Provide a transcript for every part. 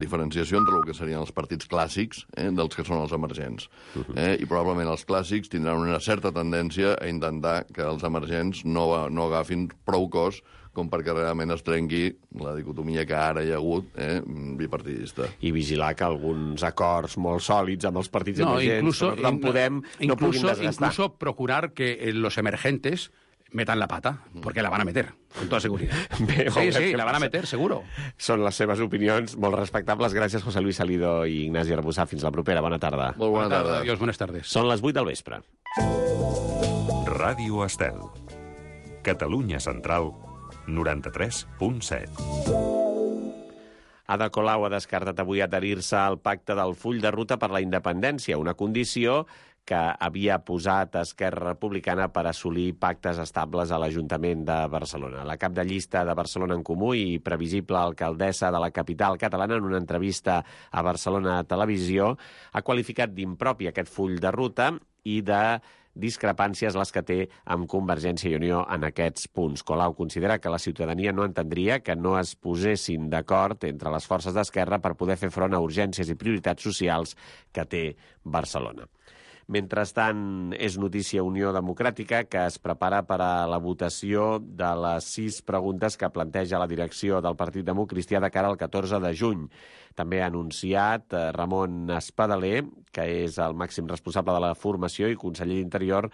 diferenciació entre el que serien els partits clàssics dels que són els emergents. I probablement els clàssics tindran una certa tendència a intentar que els emergents no agafin prou cos com perquè realment es trenqui la dicotomia que ara hi ha hagut bipartidista. I vigilar que alguns acords molt sòlids amb els partits emergents no puguin desgastar. Incluso procurar que los emergentes metan la pata, porque la van a meter, con toda seguridad. Sí, la van a meter, seguro. Són les seves opinions molt respectables. Gràcies, José Luis Salido i Ignasi Arbussà. Fins la propera. Bona tarda. Molt bona tarda. Adiós, buenas tardes. Són les 8 del vespre. Ràdio Estel. Catalunya Central, 93.7. Ada Colau ha descartat avui adherir-se al pacte del full de ruta per la independència, una condició que havia posat Esquerra Republicana per assolir pactes estables a l'Ajuntament de Barcelona. La cap de llista de Barcelona en Comú i previsible alcaldessa de la capital catalana, en una entrevista a Barcelona Televisió, ha qualificat d'impropi aquest full de ruta i de discrepàncies les que té amb Convergència i Unió en aquests punts. Colau considera que la ciutadania no entendria que no es posessin d'acord entre les forces d'Esquerra per poder fer front a urgències i prioritats socials que té Barcelona. Mentrestant, és notícia Unió Democràtica, que es prepara per a la votació de les 6 preguntes que planteja la direcció del Partit Democristià de cara al 14 de juny. També ha anunciat Ramon Espadaler, que és el màxim responsable de la formació i conseller d'Interior,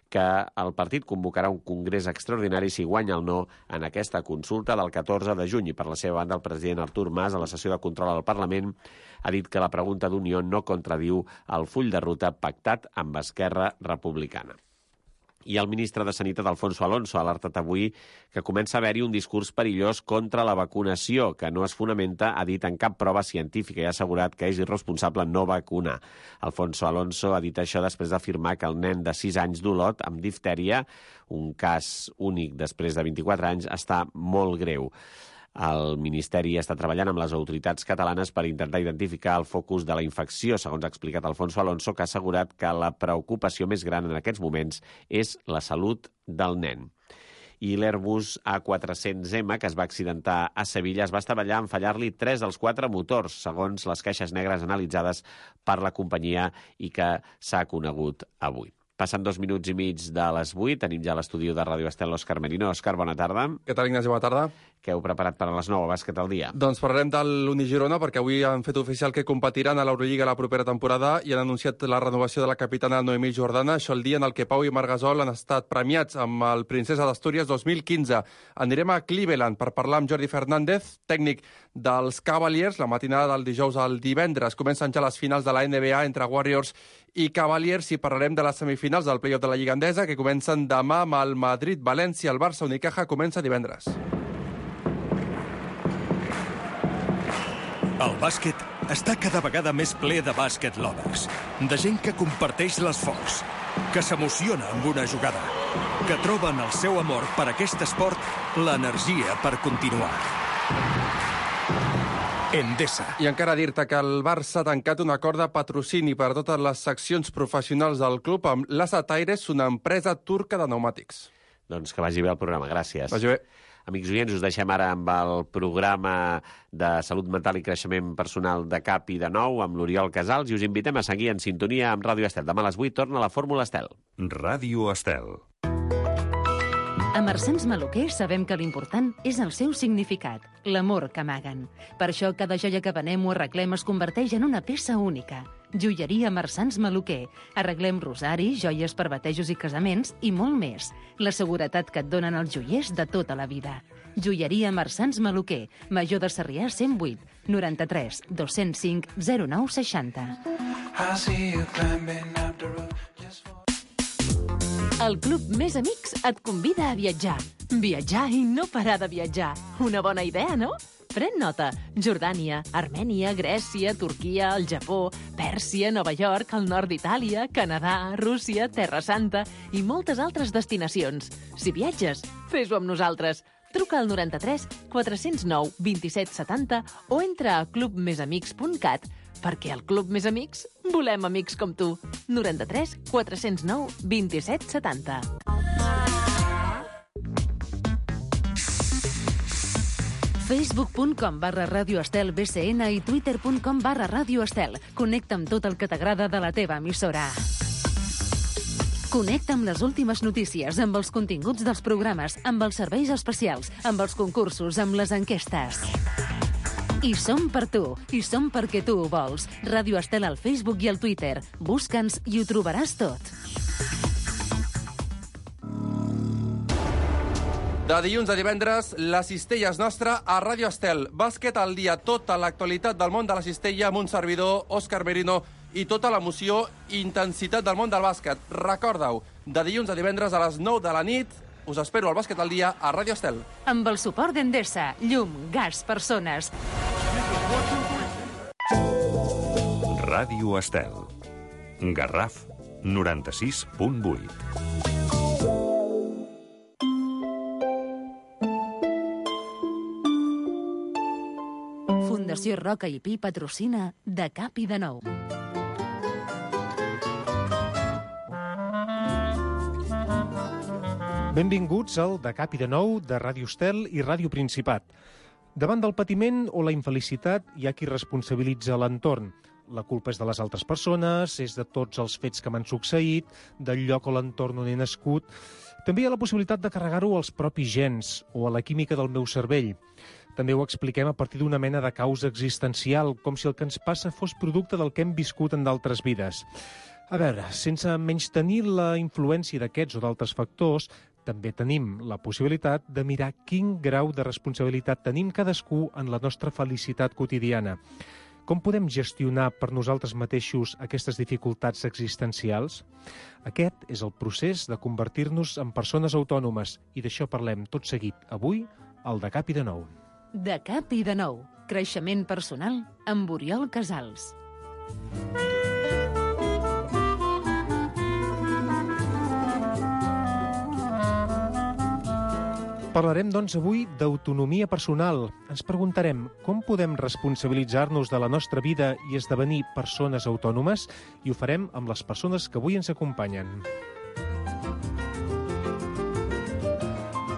que el partit convocarà un congrés extraordinari si guanya el no en aquesta consulta del 14 de juny. I per la seva banda, el president Artur Mas, a la sessió de control al Parlament, ha dit que la pregunta d'Unió no contradiu el full de ruta pactat amb Esquerra Republicana. I el ministre de Sanitat, Alfonso Alonso, ha alertat avui que comença a haver-hi un discurs perillós contra la vacunació, que no es fonamenta, ha dit, en cap prova científica, i ha assegurat que és irresponsable no vacunar. Alfonso Alonso ha dit això després d'afirmar que el nen de 6 anys d'Olot amb diftèria, un cas únic després de 24 anys, està molt greu. El Ministeri està treballant amb les autoritats catalanes per intentar identificar el focus de la infecció, segons ha explicat Alfonso Alonso, que ha assegurat que la preocupació més gran en aquests moments és la salut del nen. I l'Airbus A400M, que es va accidentar a Sevilla, es va estavellar en fallar-li 3 dels 4 motors, segons les queixes negres analitzades per la companyia i que s'ha conegut avui. Passen 2 minuts i mig de les 8. Tenim ja a l'estudi de Ràdio Estel l'Òscar Merino. Òscar, bona tarda. Què tal, Ignasi? Bona tarda. Què heu preparat per a les 9 a Bàsquet al dia? Doncs parlarem de l'Unigirona, perquè avui han fet oficial que competiran a l'Eurolliga la propera temporada i han anunciat la renovació de la capitana Noemí Jordana. Això el dia en el que Pau i Marc Gasol han estat premiats amb el Princesa d'Astúries 2015. Anirem a Cleveland per parlar amb Jordi Fernández, tècnic dels Cavaliers, la matinada del dijous al divendres. Comencen ja les finals de la NBA entre Warriors i Cavaliers i parlarem de les semifinals del play-off de la Lliga Endesa, que comencen demà amb el Madrid-València. El Barça-Unicaja comença divendres. El bàsquet està cada vegada més ple de bàsquet lovers, de gent que comparteix l'esforç, que s'emociona amb una jugada, que troba en el seu amor per aquest esport l'energia per continuar. Endesa. I encara dir-te que el Barça ha tancat un acord de patrocini per a totes les seccions professionals del club amb l'Asat Aires, una empresa turca de pneumàtics. Doncs que vagi bé el programa, gràcies. Vagi bé. Amics oients, us deixem ara amb el programa de salut mental i creixement personal de CAP i de Nou amb l'Oriol Casals i us invitem a seguir en sintonia amb Ràdio Estel. Demà a les 8 torna la Fórmula Estel. Ràdio Estel. A Marsans Maluquer sabem que l'important és el seu significat, l'amor que amaguen. Per això cada joia que venem o arreglem es converteix en una peça única. Joieria Marsans Maluquer. Arreglem rosaris, joies per batejos i casaments i molt més. La seguretat que et donen els joiers de tota la vida. Joieria Marsans Maluquer. Major de Sarrià 108 93 205 0960. El Club Més Amics et convida a viatjar. Viatjar i no parar de viatjar. Una bona idea, no? Pren nota. Jordània, Armènia, Grècia, Turquia, el Japó, Pèrsia, Nova York, el nord d'Itàlia, Canadà, Rússia, Terra Santa i moltes altres destinacions. Si viatges, fes-ho amb nosaltres. Truca al 93 409 27 70 o entra a clubmesamics.cat perquè al Club Més Amics volem amics com tu. 93 409 27 70. Facebook.com/Ràdio Estel BCN i Twitter.com/Ràdio Estel. Connecta amb tot el que t'agrada de la teva emissora. Connecta amb les últimes notícies, amb els continguts dels programes, amb els serveis especials, amb els concursos, amb les enquestes. I som per tu, i som perquè tu ho vols. Ràdio Estel al Facebook i al Twitter. Busca'ns i ho trobaràs tot. De dilluns a divendres, la cistella és nostra a Ràdio Estel. Bàsquet al dia, tota l'actualitat del món de la cistella amb un servidor, Òscar Merino, i tota l'emoció i intensitat del món del bàsquet. Recorda-ho, de dilluns a divendres a les 9 de la nit, us espero al Bàsquet al dia a Ràdio Estel. Amb el suport d'Endesa, llum, gas, persones. Ràdio Estel. Garraf 96.8. Fundació Roca i Pi patrocina De Cap i de Nou. Benvinguts al De Cap i de Nou de Ràdio Estel i Ràdio Principat. Davant del patiment o la infelicitat hi ha qui responsabilitza l'entorn. La culpa és de les altres persones, és de tots els fets que m'han succeït, del lloc o l'entorn on he nascut. També hi ha la possibilitat de carregar-ho als propis gens o a la química del meu cervell. També ho expliquem a partir d'una mena de causa existencial, com si el que ens passa fos producte del que hem viscut en d'altres vides. A veure, sense menystenir la influència d'aquests o d'altres factors, també tenim la possibilitat de mirar quin grau de responsabilitat tenim cadascú en la nostra felicitat quotidiana. Com podem gestionar per nosaltres mateixos aquestes dificultats existencials? Aquest és el procés de convertir-nos en persones autònomes i d'això parlem tot seguit avui al De Cap i de Nou. De Cap i de Nou. Creixement personal amb Oriol Casals. Parlarem, doncs, avui d'autonomia personal. Ens preguntarem com podem responsabilitzar-nos de la nostra vida i esdevenir persones autònomes, i ho farem amb les persones que avui ens acompanyen.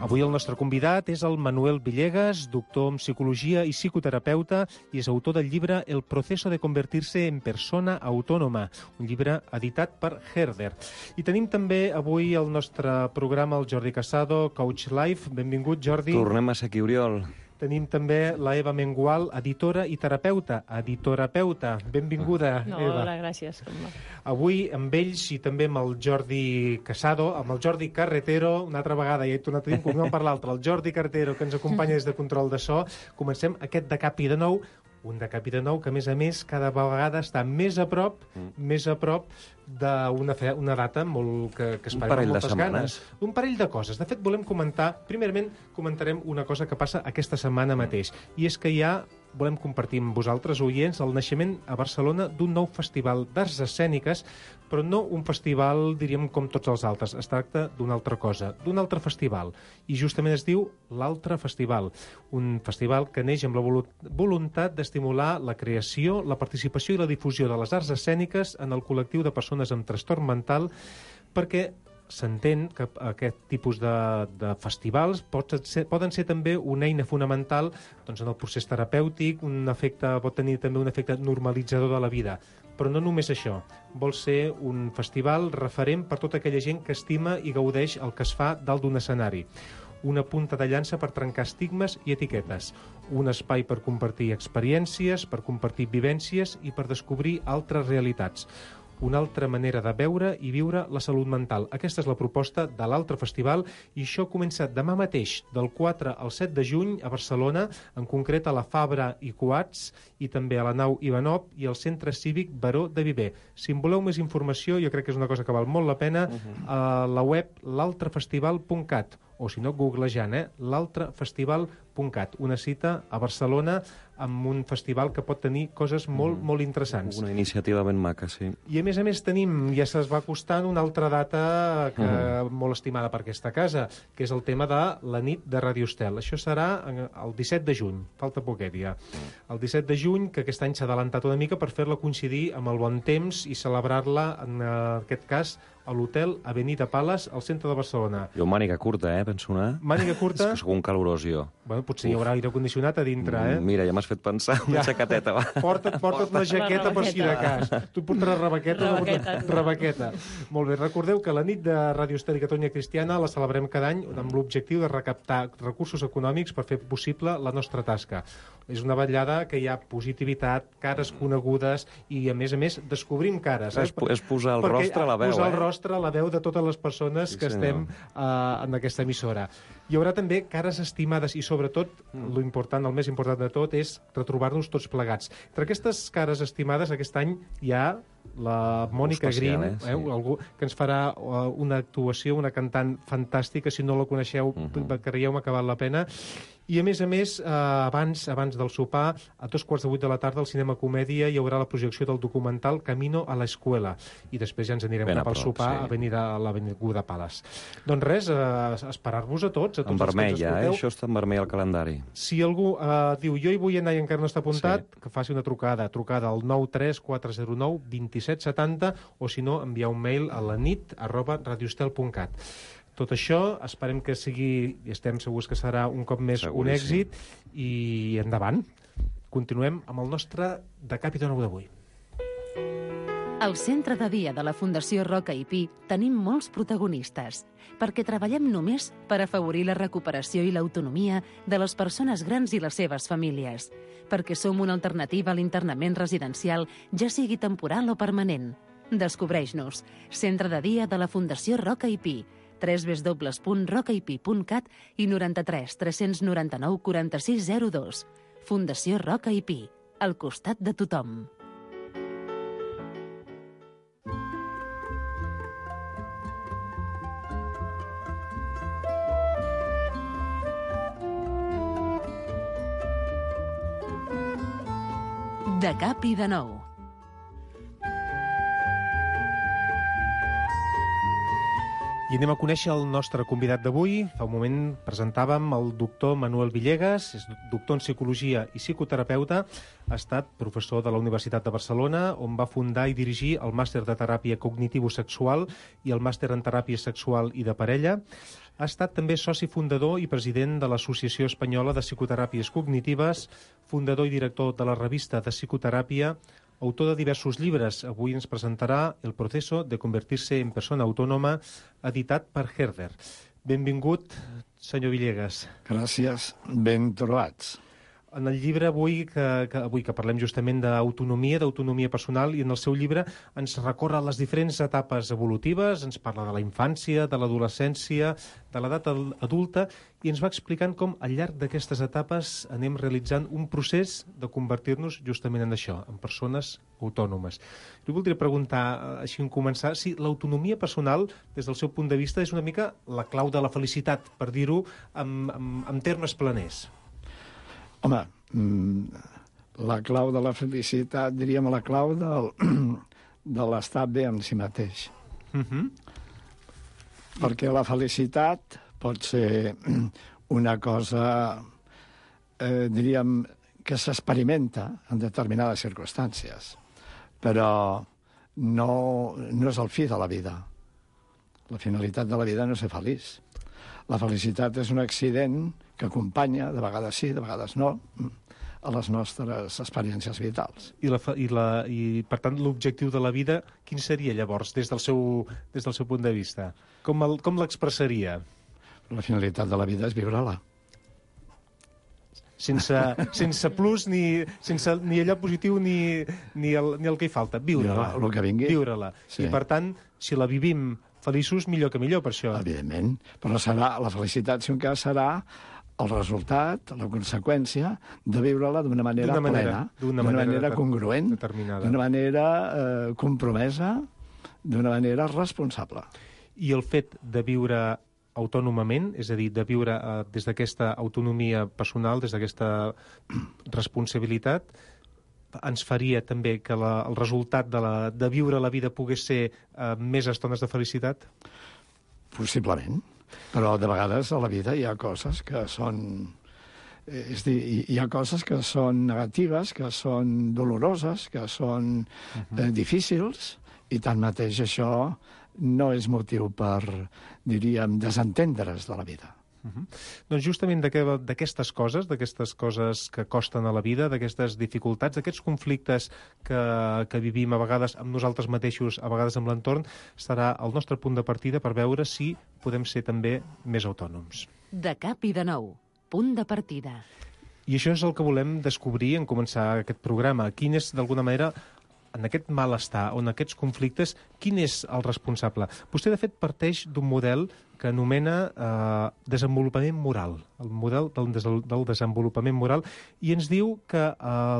Avui el nostre convidat és el Manuel Villegas, doctor en psicologia i psicoterapeuta, i és autor del llibre El proceso de convertirse en persona autónoma, un llibre editat per Herder. I tenim també avui al nostre programa el Jordi Casado, Coach Life. Benvingut, Jordi. Tornem a ser aquí, Oriol. Tenim també la Eva Mengual, editora i terapeuta. Editorapeuta. Benvinguda, no, Eva. Hola, gràcies. Avui amb ells i també amb el Jordi Casado, amb el Jordi Carretero, una altra vegada, ja he tornat a dir un per l'altre, el Jordi Carretero, que ens acompanya des de Control de So. Comencem aquest De Cap i de Nou, un De Cap i de Nou que, a més, cada vegada està més a prop d'una data molt que esperem amb moltes ganes. Un parell de coses. De fet, volem comentar, primerament, comentarem una cosa que passa aquesta setmana mateix, i és que volem compartir amb vosaltres, oients, el naixement a Barcelona d'un nou festival d'arts escèniques, però no un festival, diríem, com tots els altres. Es tracta d'una altra cosa, d'un altre festival. I justament es diu l'Altre Festival. Un festival que neix amb la voluntat d'estimular la creació, la participació i la difusió de les arts escèniques en el col·lectiu de persones amb trastorn mental, perquè s'entén que aquest tipus de festivals poden ser també una eina fonamental en el procés terapèutic, pot tenir també un efecte normalitzador de la vida. Però no només això. Vol ser un festival referent per tota aquella gent que estima i gaudeix el que es fa dalt d'un escenari. Una punta de llança per trencar estigmes i etiquetes. Un espai per compartir experiències, per compartir vivències i per descobrir altres realitats. Una altra manera de veure i viure la salut mental. Aquesta és la proposta de l'Altre Festival i això comença demà mateix, del 4 al 7 de juny a Barcelona, en concret a la Fabra i Coats i també a la nau Ivanov i al Centre Cívic Baró de Viver. Si en voleu més informació, jo crec que és una cosa que val molt la pena, a la web l'altrefestival.cat o si no, googlejant, l'altrefestival.cat. Una cita a Barcelona amb un festival que pot tenir coses molt, molt interessants. Una iniciativa ben maca, sí. I a més tenim, ja se'ns va acostant una altra data molt estimada per aquesta casa, que és el tema de la nit de Ràdio Estel. Això serà el 17 de juny, falta poquet ja. El 17 de juny, que aquest any s'ha adelantat una mica per fer-la coincidir amb el bon temps i celebrar-la, en aquest cas, a l'hotel Avenida Palace, al centre de Barcelona. Jo màniga curta, penso anar. Màniga curta? És que sóc un calorós, jo. Bueno, potser hi haurà aire condicionat a dintre, Mira, ja m'has fet pensar una xaqueteta, va. Porta't una jaqueta per si de cas. Tu portaràs rebequeta. Molt bé, recordeu que la nit de Radio Estel i Catalunya Cristiana la celebrem cada any amb l'objectiu de recaptar recursos econòmics per fer possible la nostra tasca. És una vetllada que hi ha positivitat, cares conegudes i, a més, descobrim cares. És posar el rostre a la veu, Posar el rostre a la veu de totes les persones que estem en aquesta emissora. Hi haurà també cares estimades i, sobretot, el més important de tot és retrobar-nos tots plegats. Entre aquestes cares estimades, aquest any hi ha la Mònica Green, algú que ens farà una actuació, una cantant fantàstica. Si no la coneixeu, creieu-me que val la pena. I, a més, abans del sopar, a 7:45 de la tarda, al Cinema Comèdia, hi haurà la projecció del documental Camino a la Escuela. I després ja ens anirem cap al sopar a l'Avinguda Palace. Doncs res, esperar-vos a tots. En vermell, això està en vermell al calendari. Si algú diu, jo hi vull anar i encara no està apuntat, que faci una trucada al 93 409 2770, o si no, enviar un mail a lanit@radioestel.cat. Tot això, esperem que sigui, i estem segurs que serà un cop més un èxit, i endavant. Continuem amb el nostre De Cap i de Nou d'avui. Al centre de dia de la Fundació Roca i Pi tenim molts protagonistes, perquè treballem només per afavorir la recuperació i l'autonomia de les persones grans i les seves famílies, perquè som una alternativa a l'internament residencial, ja sigui temporal o permanent. Descobreix-nos. Centre de dia de la Fundació Roca i Pi, www.rocaipi.cat i 93 399 4602. Fundació Roca i Pi, al costat de tothom. De cap i de nou. I anem a conèixer el nostre convidat d'avui. Fa un moment presentàvem el doctor Manuel Villegas, és doctor en psicologia i psicoterapeuta, ha estat professor de la Universitat de Barcelona, on va fundar i dirigir el màster de teràpia cognitivo-sexual i el màster en teràpia sexual i de parella. Ha estat també soci fundador i president de l'Associació Espanyola de Psicoteràpies Cognitives, fundador i director de la revista de psicoteràpia, autor de diversos llibres. Avui ens presentarà El proceso de convertirse en persona autònoma, editat per Herder. Benvingut, senyor Villegas. Gràcies, ben trobats. En el llibre avui que parlem justament d'autonomia personal, i en el seu llibre ens recorre les diferents etapes evolutives, ens parla de la infància, de l'adolescència, de l'edat adulta, i ens va explicant com al llarg d'aquestes etapes anem realitzant un procés de convertir-nos justament en això, en persones autònomes. Jo voldria preguntar, així en començar, si l'autonomia personal, des del seu punt de vista, és una mica la clau de la felicitat, per dir-ho en termes planers. Home, la clau de la felicitat, diríem la clau de l'estar bé amb si mateix. Perquè la felicitat pot ser una cosa, diríem, que s'experimenta en determinades circumstàncies, però no és el fi de la vida. La finalitat de la vida no és ser feliç. La felicitat és un accident que acompanya, de vegades sí, de vegades no, a les nostres experiències vitals. I per tant, l'objectiu de la vida, quin seria llavors, des del seu punt de vista? Com l'expressaria? La finalitat de la vida és viure-la. Sense plus, ni allò positiu, ni el que hi falta. Viure-la. El que vingui. Viure-la. I per tant, si la vivim feliços, millor que millor, per això. Evidentment. Però la felicitat, si un cas, serà el resultat, la conseqüència de viure-la d'una manera plena, d'una manera congruent, d'una manera compromesa, d'una manera responsable. I el fet de viure autònomament, és a dir, de viure des d'aquesta autonomia personal, des d'aquesta responsabilitat, ens faria també que el resultat de viure la vida pogués ser més estones de felicitat? Possiblement. Però de vegades a la vida hi ha coses que són... És dir, hi ha coses que són negatives, que són doloroses, que són difícils, i tanmateix això no és motiu per, diríem, desentendre's de la vida. Doncs justament d'aquestes coses que costen a la vida, d'aquestes dificultats, d'aquests conflictes que vivim a vegades amb nosaltres mateixos, a vegades amb l'entorn, serà el nostre punt de partida per veure si podem ser també més autònoms. De cap i de nou. Punt de partida. I això és el que volem descobrir en començar aquest programa. Quin és, d'alguna manera, en aquest malestar o en aquests conflictes, quin és el responsable? Vostè, de fet, parteix d'un model que anomena desenvolupament moral, el model del desenvolupament moral, i ens diu que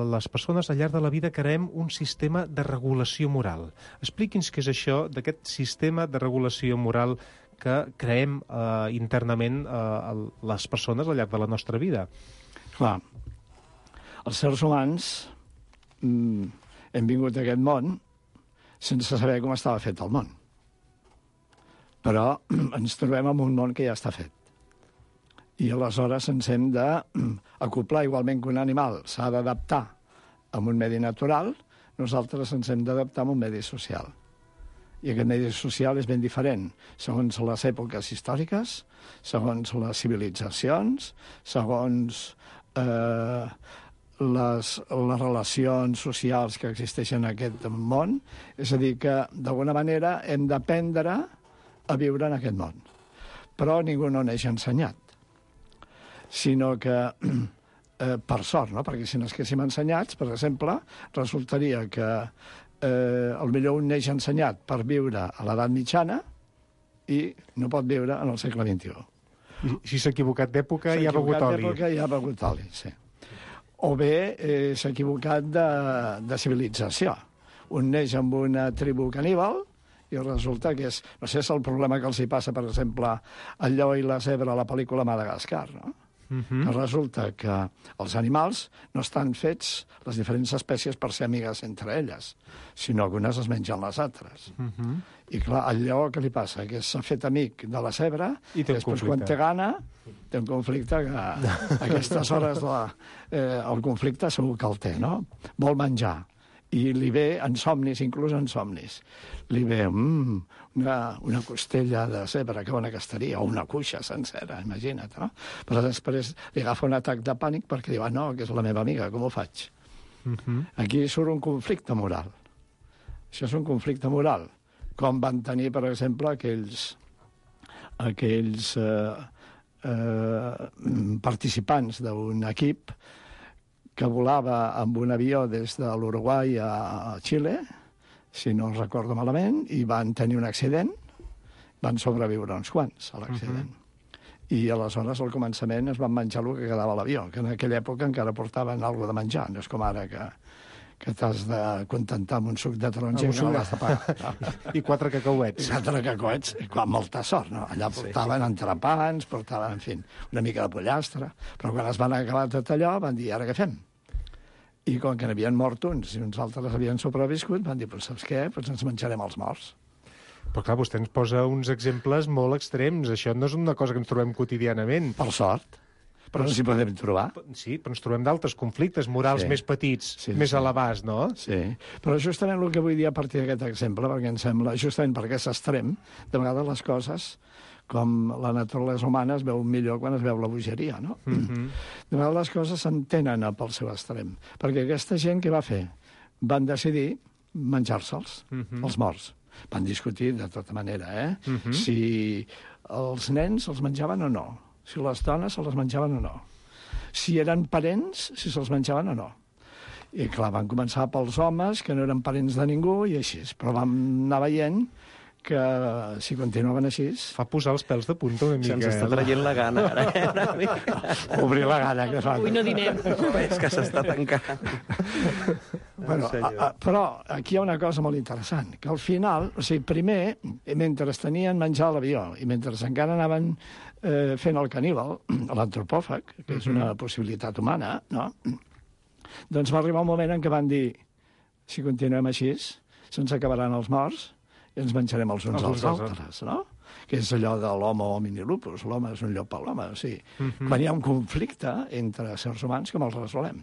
les persones al llarg de la vida creem un sistema de regulació moral. Expliqui'ns què és això d'aquest sistema de regulació moral que creem internament les persones al llarg de la nostra vida. Clar, els sers humans hem vingut a aquest món sense saber com estava fet el món. Però ens trobem en un món que ja està fet. I aleshores ens hem d'acoplar, igualment que un animal s'ha d'adaptar a un medi natural, nosaltres ens hem d'adaptar a un medi social. I aquest medi social és ben diferent, segons les èpoques històriques, segons les civilitzacions, segons les relacions socials que existeixen en aquest món. És a dir, que d'alguna manera hem d'aprendre a viure en aquest món. Però ningú no neix ensenyat. Sinó que, per sort, no? Perquè si no estiguéssim ensenyats, per exemple, resultaria que potser un neix ensenyat per viure a l'edat mitjana i no pot viure en el segle XXI. I si s'ha equivocat d'època, ja ha begut oli. S'ha equivocat d'època, ja ha begut oli, sí. O bé s'ha equivocat de civilització. Un neix amb una tribu caníbal i resulta que és... No sé, és el problema que els hi passa, per exemple, al lleó i la zebra a la pel·lícula Madagascar, no? Que resulta que els animals no estan fets, les diferents espècies, per ser amigues entre elles, sinó que unes es mengen les altres. I clar, al lleó què li passa? Que s'ha fet amic de la zebra i després quan té gana té un conflicte que a aquestes hores el conflicte segur que el té, no? Vol menjar. I li ve en somnis, inclús en somnis. Li ve una costella de zebra, que bona que estaria, o una cuixa sencera, imagina't, no? Però després li agafa un atac de pànic perquè diu, no, que és la meva amiga, com ho faig? Aquí surt un conflicte moral. Això és un conflicte moral. Com van tenir, per exemple, aquells participants d'un equip que volava amb un avió des de l'Uruguai a Xile, si no recordo malament, i van tenir un accident, van sobreviure uns quants a l'accident. I aleshores, al començament, es van menjar el que quedava a l'avió, que en aquella època encara portaven alguna de menjar, no és com ara que t'has de contentar amb un suc de taronja i no l'has de pagar. I 4 cacauets. 4 cacauets, amb molta sort, no? Allà portaven entrepans, portaven, en fi, una mica de pollastre, però quan es van acabar tot allò van dir, ara què fem? I com que n'havien mort uns i uns altres havien sobreviscut, van dir, pues, saps què? Pues ens menjarem els morts. Però clar, vostè ens posa uns exemples molt extrems. Això no és una cosa que ens trobem quotidianament. Per sort. Però no s'hi podem trobar. Sí, però ens trobem d'altres conflictes morals més petits, més elevats, no? Sí, però justament el que vull dir a partir d'aquest exemple, perquè em sembla, justament perquè és extrem, de vegades les coses, com la naturalesa humana, es veu millor quan es veu la bogeria, no? De vegades les coses s'entenen pel seu extrem. Perquè aquesta gent, què va fer? Van decidir menjar-se'ls, els morts. Van discutir de tota manera, si els nens els menjaven o no, si les dones se les menjaven o no, si eren parents, si se'ls menjaven o no. I clar, van començar pels homes, que no eren parents de ningú, i així. Però vam anar veient que si continuaven així... Fa posar els pèls de punta una mica. Se'ns està traient la gana, ara. Obrir la gana, que fa. Avui no dinem. És que s'està tancant. Bueno, però aquí hi ha una cosa molt interessant, que al final, o sigui, primer, mentre tenien menjar a l'avió i mentre encara anaven fent el caníbal, l'antropòfag, que és una possibilitat humana, no? Doncs va arribar un moment en què van dir, si continuem així, se'ns acabaran els morts i ens menjarem els uns als altres, no? Que és allò de l'homo homini lupus, l'home és un llop per l'home, o sigui, quan hi ha un conflicte entre éssers humans, com els resolem?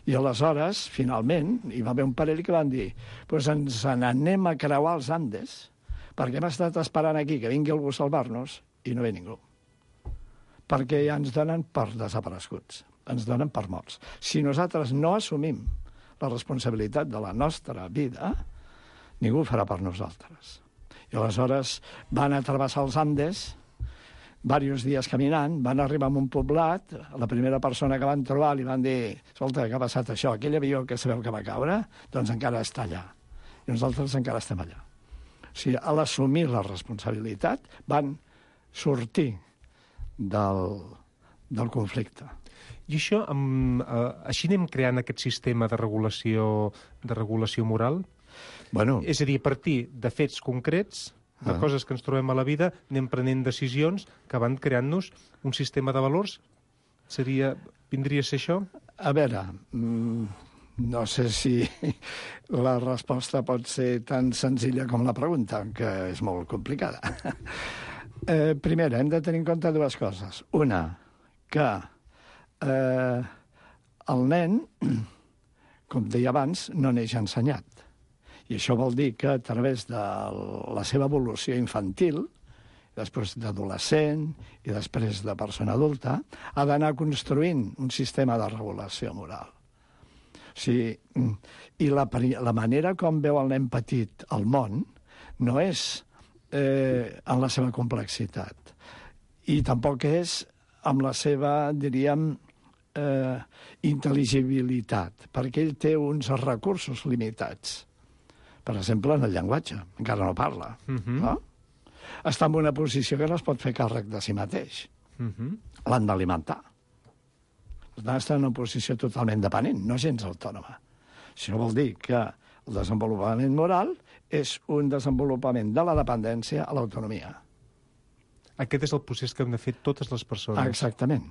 I aleshores, finalment, hi va haver un parell que van dir, doncs ens n'anem a creuar els Andes Perquè hem estat esperant aquí que vingui algú a salvar-nos i no ve ningú. Perquè ja ens donen per desapareguts, ens donen per morts. Si nosaltres no assumim la responsabilitat de la nostra vida, ningú ho farà per nosaltres. I aleshores van a travessar els Andes, diversos dies caminant, van arribar a un poblat, la primera persona que van trobar li van dir, escolta, què ha passat això? Aquell avió que sabeu que va caure, doncs encara està allà. I nosaltres encara estem allà. O sigui, a l'assumir la responsabilitat van sortir del conflicte. I això, així anem creant aquest sistema de regulació moral? Bueno. És a dir, a partir de fets concrets, de coses que ens trobem a la vida, anem prenent decisions que van creant-nos un sistema de valors? Vindria a ser això? A veure, no sé si la resposta pot ser tan senzilla com la pregunta, que és molt complicada. Primera, hem de tenir en compte dues coses. Una, que el nen, com deia abans, no neix ensenyat. I això vol dir que a través de la seva evolució infantil, després d'adolescent i després de persona adulta, ha d'anar construint un sistema de regulació moral. O sigui, i la manera com veu el nen petit el món no és en la seva complexitat. I tampoc és amb la seva, diríem, intel·ligibilitat, perquè ell té uns recursos limitats. Per exemple, en el llenguatge. Encara no parla. No? Està en una posició que no es pot fer càrrec de si mateix. L'han d'alimentar. Per tant, està en una posició totalment dependent, no gens autònoma. Això vol dir que el desenvolupament moral és un desenvolupament de la dependència a l'autonomia. Aquest és el procés que hem de fer totes les persones. Exactament.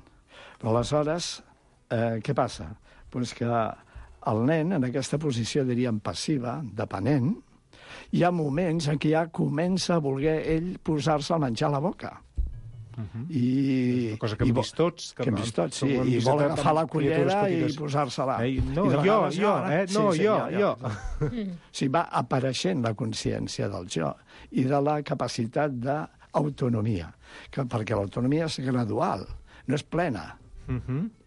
Però aleshores, què passa? Doncs que el nen, en aquesta posició, diríem, passiva, dependent, hi ha moments en què ja comença a voler ell posar-se el menjar a la boca. Una cosa que hem vist tots. Que hem vist tots, sí. I vol agafar la cullera i posar-se-la. No, jo. Sí, va apareixent la consciència del jo i de la capacitat d'autonomia, perquè l'autonomia és gradual, no és plena.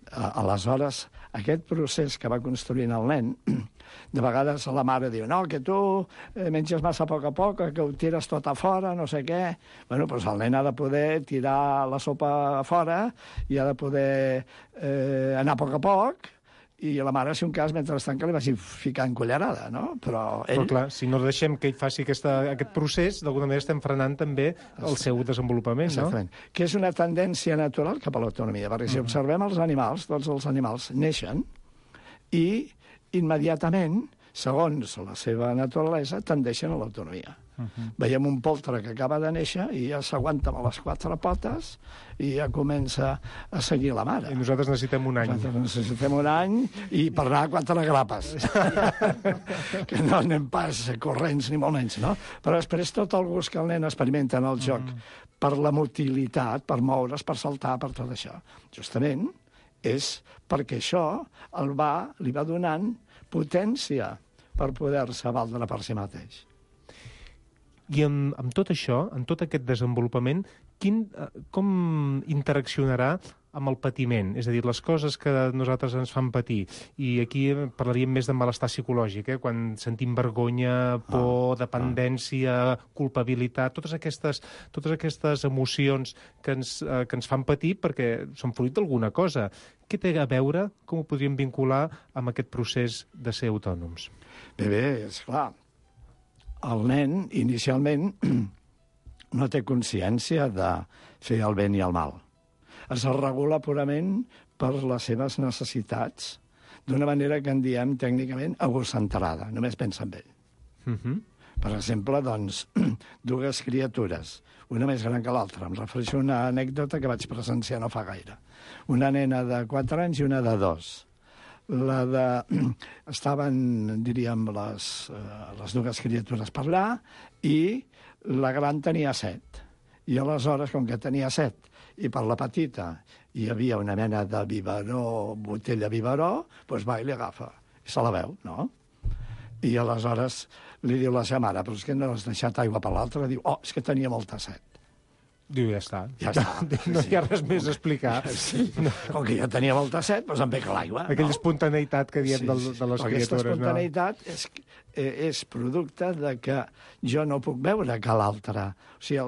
Aleshores, aquest procés que va construint el nen, de vegades la mare diu, no, que tu menges massa a poc, que ho tires tot a fora, no sé què. Bueno, doncs el nen ha de poder tirar la sopa a fora i ha de poder anar a poc, i la mare, si un cas, mentrestant que li vagi ficant cullerada, no? Però ell... Però clar, si no deixem que ell faci aquest procés, d'alguna manera estem frenant també el seu desenvolupament, no? Exactament. Que és una tendència natural cap a l'autonomia, perquè si observem els animals, tots els animals neixen i immediatament, segons la seva naturalesa, tendeixen a l'autonomia. Veiem un poltre que acaba de néixer i ja s'aguanta amb les 4 potes i ja comença a seguir la mare. I nosaltres necessitem un any. Nosaltres necessitem un any i per anar a 4 grapes. Que no anem pas corrents ni molt menys, no? Però després tot el gust que el nen experimenta en el joc per la motilitat, per moure's, per saltar, per tot això, justament és perquè això li va donant potència per poder-se valdre per si mateix. I amb tot això, amb tot aquest desenvolupament, com interaccionarà amb el patiment? És a dir, les coses que nosaltres ens fan patir. I aquí parlaríem més de malestar psicològic, quan sentim vergonya, por, dependència, culpabilitat, totes aquestes emocions que ens fan patir perquè són fruit d'alguna cosa. Què té a veure, com ho podríem vincular amb aquest procés de ser autònoms? Bé, esclar. El nen, inicialment, no té consciència de fer el bé i el mal. Es regula purament per les seves necessitats, d'una manera que en diem tècnicament egocentrada, només pensa en ell. Per exemple, doncs, 2 criatures, una més gran que l'altra. Em refereixo a una anècdota que vaig presenciar no fa gaire. Una nena de 4 anys i una de 2. Estaven, diríem, les 2 criatures per allà i la gran tenia 7. I aleshores, com que tenia 7 i per la petita hi havia una mena de biberó, botella biberó, doncs va i li agafa. I se la veu, no? I aleshores li diu la seva mare, però és que no has deixat aigua per l'altre. Diu, és que tenia molta set. Diu, ja està. Ja està. No hi ha res més a explicar. Sí. Com que ja tenia molta set, doncs em bec l'aigua. Aquella espontaneïtat que diem de les criatures. Aquesta espontaneïtat és producte de que jo no puc veure que l'altre. O sigui,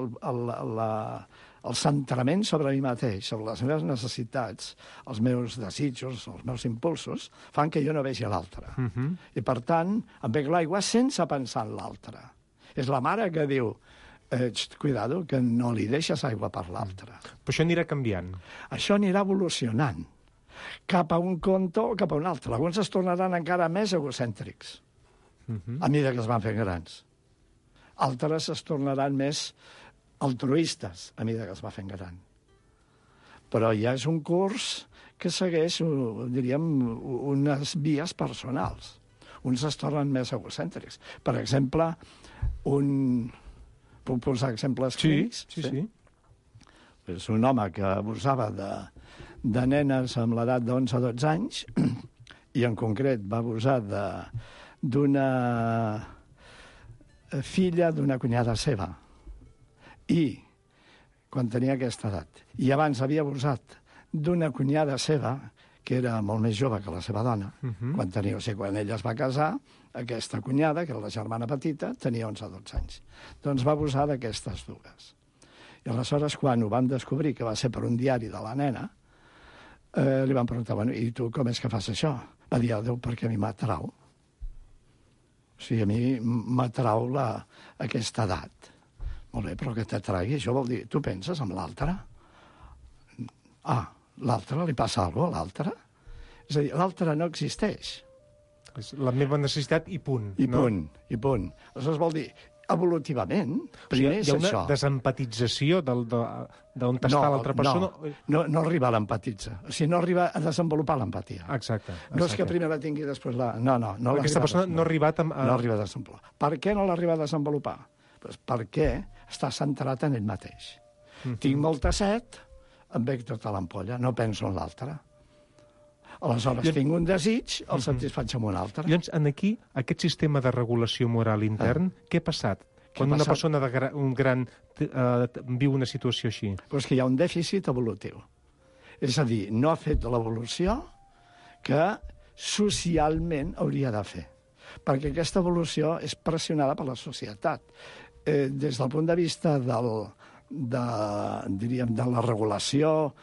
el centrament sobre mi mateix, sobre les meves necessitats, els meus desitjos, els meus impulsos, fan que jo no vegi l'altre. I, per tant, em bec l'aigua sense pensar en l'altre. És la mare que diu, cuidado, que no li deixes aigua per l'altre. Però això anirà canviant. Això anirà evolucionant cap a un conte o cap a un altre. Alguns es tornaran encara més egocèntrics a mesura que es van fent grans. Altres es tornaran més altruistes a mesura que es va fent gran. Però ja és un curs que segueix, diríem, unes vies personals. Uns es tornen més egocèntrics. Per exemple, puc posar exemples clínics? Sí. És un home que abusava de nenes amb l'edat d'11 a 12 anys i en concret va abusar d'una filla d'una cunyada seva. I quan tenia aquesta edat. I abans havia abusat d'una cunyada seva que era molt més jove que la seva dona. Quan ella es va casar, aquesta cunyada, que era la germana petita, tenia 11 o 12 anys. Doncs va abusar d'aquestes dues. I aleshores, quan ho van descobrir, que va ser per un diari de la nena, li van preguntar, bueno, i tu com és que fas això? Va dir, Déu, perquè a mi m'atrau. O sigui, a mi m'atrau aquesta edat. Molt bé, però que t'atragui, això vol dir, tu penses en l'altre? L'altre, li passa alguna cosa a l'altre? És a dir, l'altre no existeix. És la meva necessitat i punt. I punt. Aleshores vol dir, evolutivament, primer és això. Hi ha una desempatització d'on està l'altra persona? No arriba a l'empatitza. O sigui, no arriba a desenvolupar l'empatia. Exacte. No és que primer la tingui i després la... No. Aquesta persona no ha arribat a... No arriba a desenvolupar. Per què no l'arriba a desenvolupar? Pues perquè està centrat en ell mateix. Tinc molta set, em bec tota l'ampolla, no penso en l'altre. Aleshores, tinc un desig, el satisfaig amb un altre. Llavors, aquí, aquest sistema de regulació moral intern, què ha passat? Quan una persona gran viu una situació així? Pues que hi ha un dèficit evolutiu. És a dir, no ha fet l'evolució que socialment hauria de fer. Perquè aquesta evolució és pressionada per la societat. Des del punt de vista de la regulació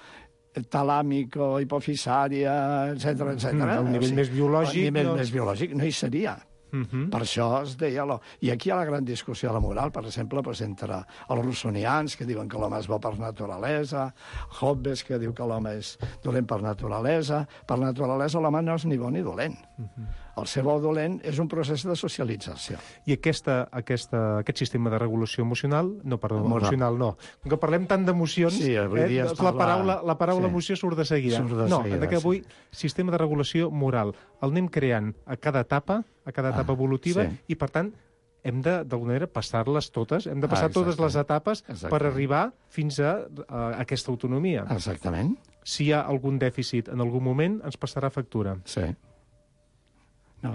talàmico-hipofisària, etc. El nivell més biològic... El nivell més biològic no hi seria. Per això es deia... I aquí hi ha la gran discussió de la moral, per exemple, entre els russonians, que diuen que l'home és bo per naturalesa, Hobbes, que diu que l'home és dolent per naturalesa. Per naturalesa l'home no és ni bo ni dolent. El ser bo o dolent és un procés de socialització. I aquest sistema de regulació emocional... emocional no. Com que parlem tant d'emocions, la paraula emoció surt de seguida. Avui, sistema de regulació moral. El anem creant a cada etapa evolutiva, i, per tant, hem de, d'alguna manera, passar-les totes. Hem de passar totes les etapes per arribar fins a aquesta autonomia. Exactament. Si hi ha algun dèficit en algun moment, ens passarà factura. Sí. No,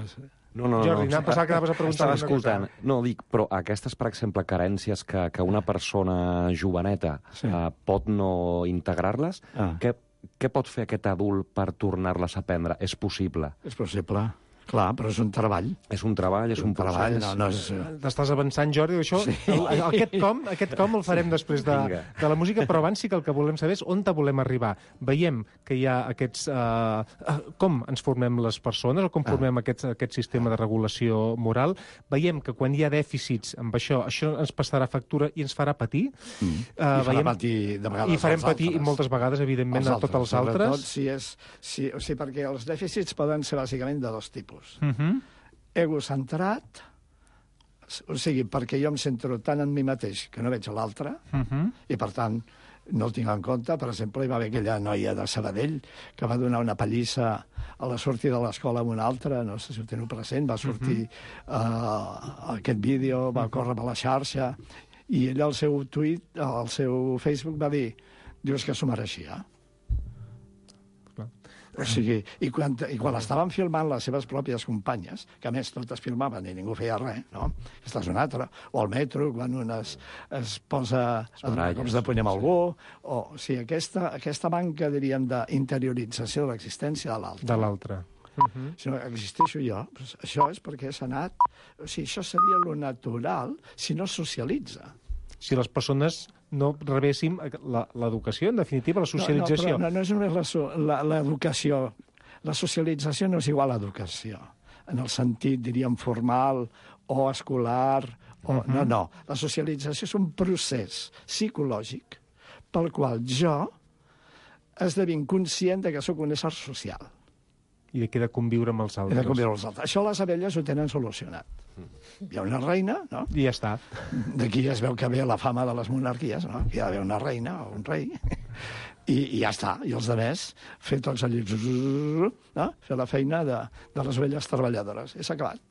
Jordi, pensava que anaves a preguntar estava escoltant. No, dic, però aquestes, per exemple, carències que una persona joveneta pot no integrar-les, què pot fer aquest adult per tornar-les a aprendre? És possible? És possible. Clar, però és un treball. És un treball, és un procés. T'estàs avançant, Jordi, això? Sí. Aquest com el farem després de la música, però abans sí que el que volem saber és on volem arribar. Veiem que hi ha aquests... com ens formem les persones, o com formem aquest sistema de regulació moral. Veiem que quan hi ha dèficits amb això ens passarà factura i ens farà patir. I farà patir de vegades. I farem patir moltes vegades, evidentment, a tots els altres. O sigui, perquè els dèficits poden ser bàsicament de dos tipus. Egocentrat, o sigui, perquè jo em centro tant en mi mateix que no veig l'altre, i per tant no el tinc en compte. Per exemple, hi va haver aquella noia de Sabadell que va donar una pallissa a la sortida de l'escola amb una altra, no sé si ho teniu present, va sortir aquest vídeo, va córrer per la xarxa, i ella al seu tuit, al seu Facebook va dir, dius que s'ho mereixia. O sigui, i quan estaven filmant les seves pròpies companyes, que a més totes filmaven i ningú feia res, no? Aquesta és una altra. O al metro, quan un es posa cops de puny amb algú. O sigui, aquesta manca, diríem, d'interiorització de l'existència de l'altre. Si no existeixo jo, doncs això és perquè s'ha anat... O sigui, això seria lo natural si no es socialitza. Si les persones no rebéssim l'educació, en definitiva, la socialització. No és només l'educació. La socialització no és igual a educació, en el sentit, diríem, formal o escolar. No. La socialització és un procés psicològic pel qual jo esdevinc conscient que sóc un ésser social. I de què he de conviure amb els altres. Això les abelles ho tenen solucionat. Hi ha una reina, no? I ja està. D'aquí es veu que ve la fama de les monarquies, no? Hi ha d'haver una reina o un rei. I ja està. I els altres, fer tots allí... No? Fer la feina de les velles treballadores. I s'ha acabat.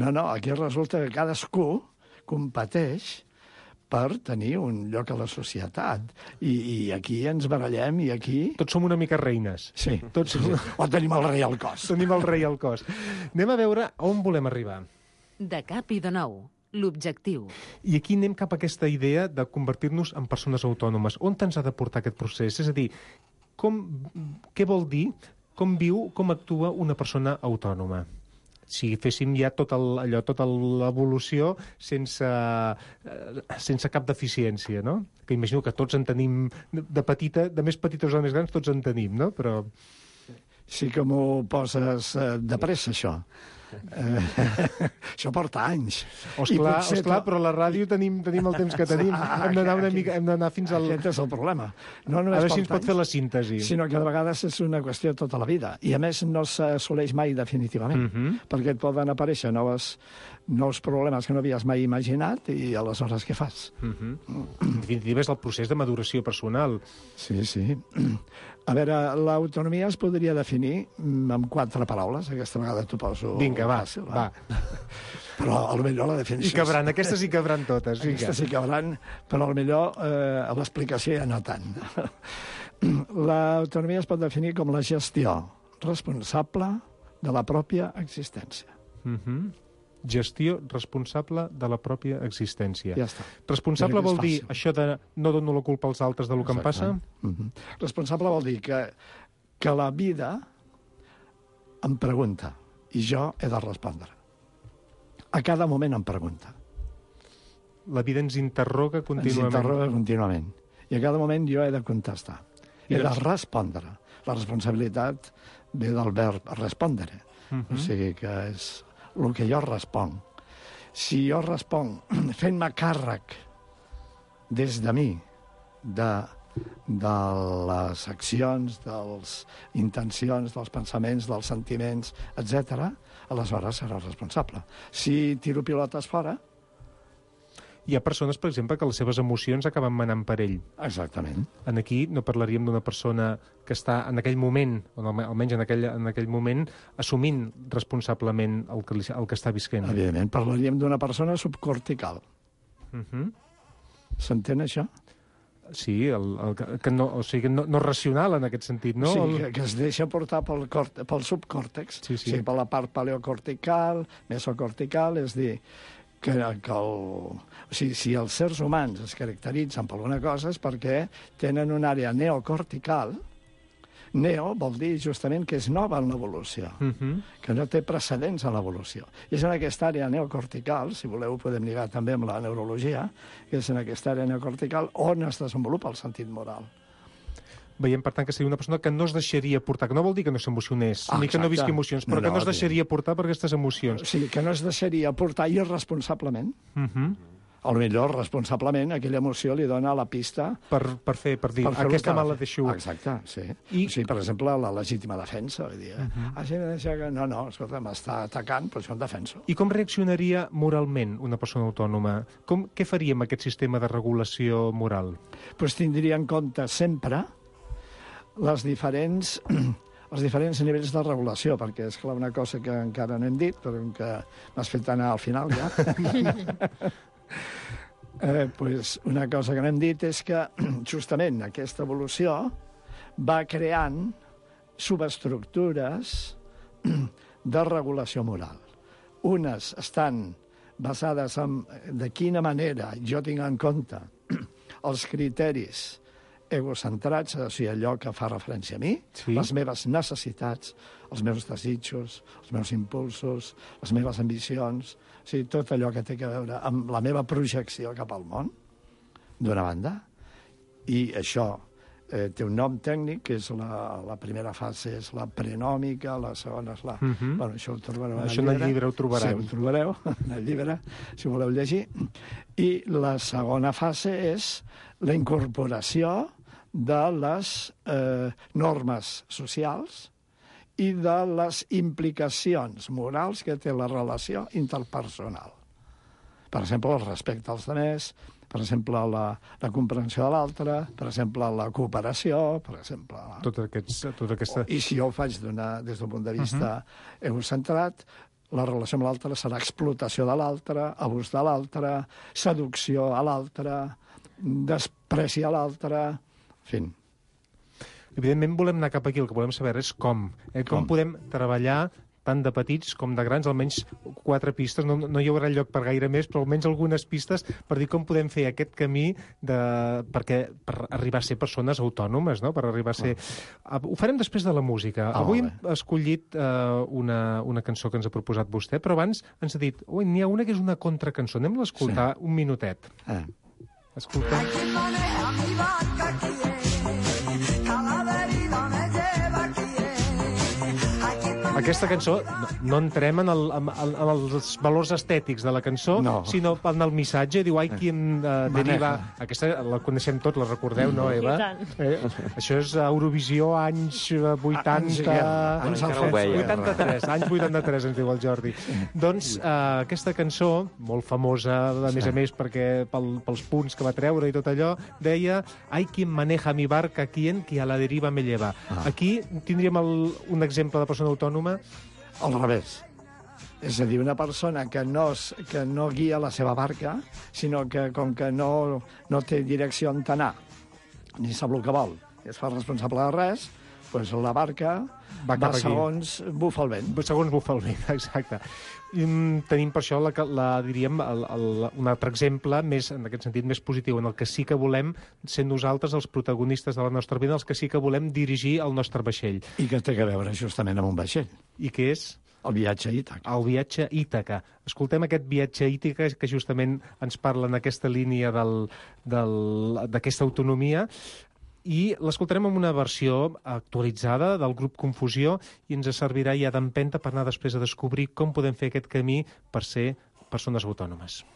No, aquí resulta que cadascú competeix per tenir un lloc a la societat. I aquí ens barallem i aquí... Tots som una mica reines. Sí. O tenim el rei al cos. Tenim el rei al cos. Anem a veure on volem arribar. De cap i de nou. L'objectiu. I aquí anem cap a aquesta idea de convertir-nos en persones autònomes. On ens ha de portar aquest procés? És a dir, què vol dir, com viu, com actua una persona autònoma? Si féssim ja tota l'evolució sense cap deficiència, no? Que imagino que tots en tenim, de més petites o de més grans, tots en tenim, no? Però... Sí que m'ho poses de pressa, això. Això porta anys. Osclar, però a la ràdio tenim el temps que tenim. Hem d'anar fins al... Aquest és el problema. No a veure si ens pot fer la síntesi. Sinó que de vegades és una qüestió de tota la vida. I a més no s'assoleix mai definitivament, perquè et poden aparèixer nous problemes que no havies mai imaginat i aleshores què fas? En definitiva és el procés de maduració personal. Sí. A veure, l'autonomia es podria definir amb 4 paraules. Aquesta vegada t'ho poso... Vinga, va. Però potser la definició... I cabran, aquestes hi cabran totes. Aquestes hi cabran, però potser l'explicació ja no tant. L'autonomia es pot definir com la gestió responsable de la pròpia existència. Gestió responsable de la pròpia existència. Ja està. Responsable vol dir això de no dono la culpa als altres del que em passa? Responsable vol dir que la vida em pregunta i jo he de respondre. A cada moment em pregunta. La vida ens interroga contínuament. Ens interroga contínuament. I a cada moment jo he de contestar. He de respondre. La responsabilitat ve del verb respondre. O sigui que és el que jo responc. Si jo responc fent-me càrrec des de mi, de les accions, de les intencions, dels pensaments, dels sentiments, etc., aleshores serà responsable. Si tiro pilotes fora... Hi ha persones, per exemple, que les seves emocions acaben manant per ell. Exactament. Aquí no parlaríem d'una persona que està en aquell moment, o almenys en aquell moment, assumint responsablement el que està visquent. Evidentment, parlaríem d'una persona subcortical. S'entén això? Sí, o sigui, no racional en aquest sentit, no? Sí, que es deixa portar pel subcòrtex, o sigui, per la part paleocortical, mesocortical, és dir, si els sers humans es caracteritzen per alguna cosa és perquè tenen una àrea neocortical. Neo vol dir justament que és nova en l'evolució, que no té precedents en l'evolució. I és en aquesta àrea neocortical, si voleu podem lligar també amb la neurologia, que és en aquesta àrea neocortical on es desenvolupa el sentit moral. Veiem, per tant, que seria una persona que no es deixaria portar, que no vol dir que no s'emocionés, ni que no visqui emocions, però que no es deixaria portar per aquestes emocions. Sí, que no es deixaria portar irresponsablement. O millor, responsablement, aquella emoció li dona la pista... Per dir, aquesta me la deixo... Exacte, sí. O sigui, per exemple, la legítima defensa. Vull dir, no, escolta, m'està atacant, però això em defenso. I com reaccionaria moralment una persona autònoma? Què faria amb aquest sistema de regulació moral? Doncs tindria en compte sempre els diferents nivells de regulació, perquè és clar una cosa que encara no hem dit, però que m'has fet anar al final ja. Una cosa que no hem dit és que justament aquesta evolució va creant subestructures de regulació moral. Unes estan basades en de quina manera jo tinc en compte els criteris egocentrats, o sigui, allò que fa referència a mi, les meves necessitats, els meus desitjos, els meus impulsos, les meves ambicions, o sigui, tot allò que té a veure amb la meva projecció cap al món, d'una banda, i això té un nom tècnic, que és la primera fase és la prenòmica, la segona és la... Bueno, això ho trobareu en el llibre. Ho trobareu. Sí, ho trobareu en el llibre, si voleu llegir. I la segona fase és la incorporació de les normes socials i de les implicacions morals que té la relació interpersonal. Per exemple, el respecte als altres, per exemple, la comprensió de l'altre, per exemple, la cooperació, per exemple... Tot aquesta... I si jo ho faig des d'un punt de vista egocentrat, la relació amb l'altre serà explotació de l'altre, abús de l'altre, seducció a l'altre, despreci a l'altre, en fi. Evidentment volem anar cap aquí, el que volem saber és com. Com podem treballar tant de petits com de grans, almenys 4 pistes, no hi haurà lloc per gaire més, però almenys algunes pistes per dir com podem fer aquest camí per arribar a ser persones autònomes, no? Per arribar a ser... Ho farem després de la música. Avui hem escollit una cançó que ens ha proposat vostè, però abans ens ha dit, n'hi ha una que és una contracançó, anem a escoltar un minutet. Escolta. Aquesta cançó, no entrem en els valors estètics de la cançó, sinó en el missatge. Diu, qui em deriva... Aquesta la coneixem tot, la recordeu, no, Eva? Això és Eurovisió, anys 80... Anys 83, anys 83, ens diu el Jordi. Doncs aquesta cançó, molt famosa, a més, perquè pels punts que va treure i tot allò, deia, quien maneja mi barca, quien que a la deriva me lleva. Aquí tindríem un exemple de persona autònoma. Al revés. És a dir, una persona que no guia la seva barca, sinó que com que no té direcció on anar, ni sap el que vol, i es fa responsable de res, doncs la barca va segons bufa el vent. Segons bufa el vent, exacte. Tenim per això, diríem, un altre exemple, en aquest sentit més positiu, en el que sí que volem ser nosaltres els protagonistes de la nostra vida, els que sí que volem dirigir el nostre vaixell. I que té a veure justament amb un vaixell. I què és? El viatge a Ítaca. El viatge a Ítaca. Escoltem aquest viatge a Ítaca que justament ens parla en aquesta línia d'aquesta autonomia, i l'escoltarem amb una versió actualitzada del grup Confusió i ens servirà ja d'empenta per anar després a descobrir com podem fer aquest camí per ser persones autònomes.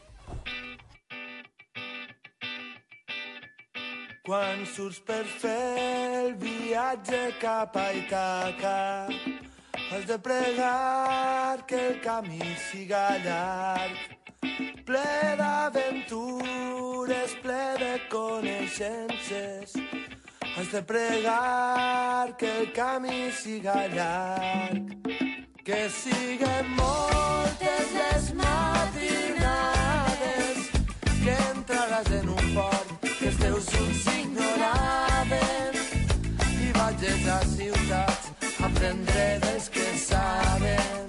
Quan surts per fer el viatge cap a Ítaca, has de pregar que el camí siga llarg, ple d'aventures, ple de coneixences. Has de pregar que el camí siga llarg, que siguen moltes les matinades, que entraràs en un port que els teus ulls ignoraven, i vagis a ciutats a aprendre dels que saben.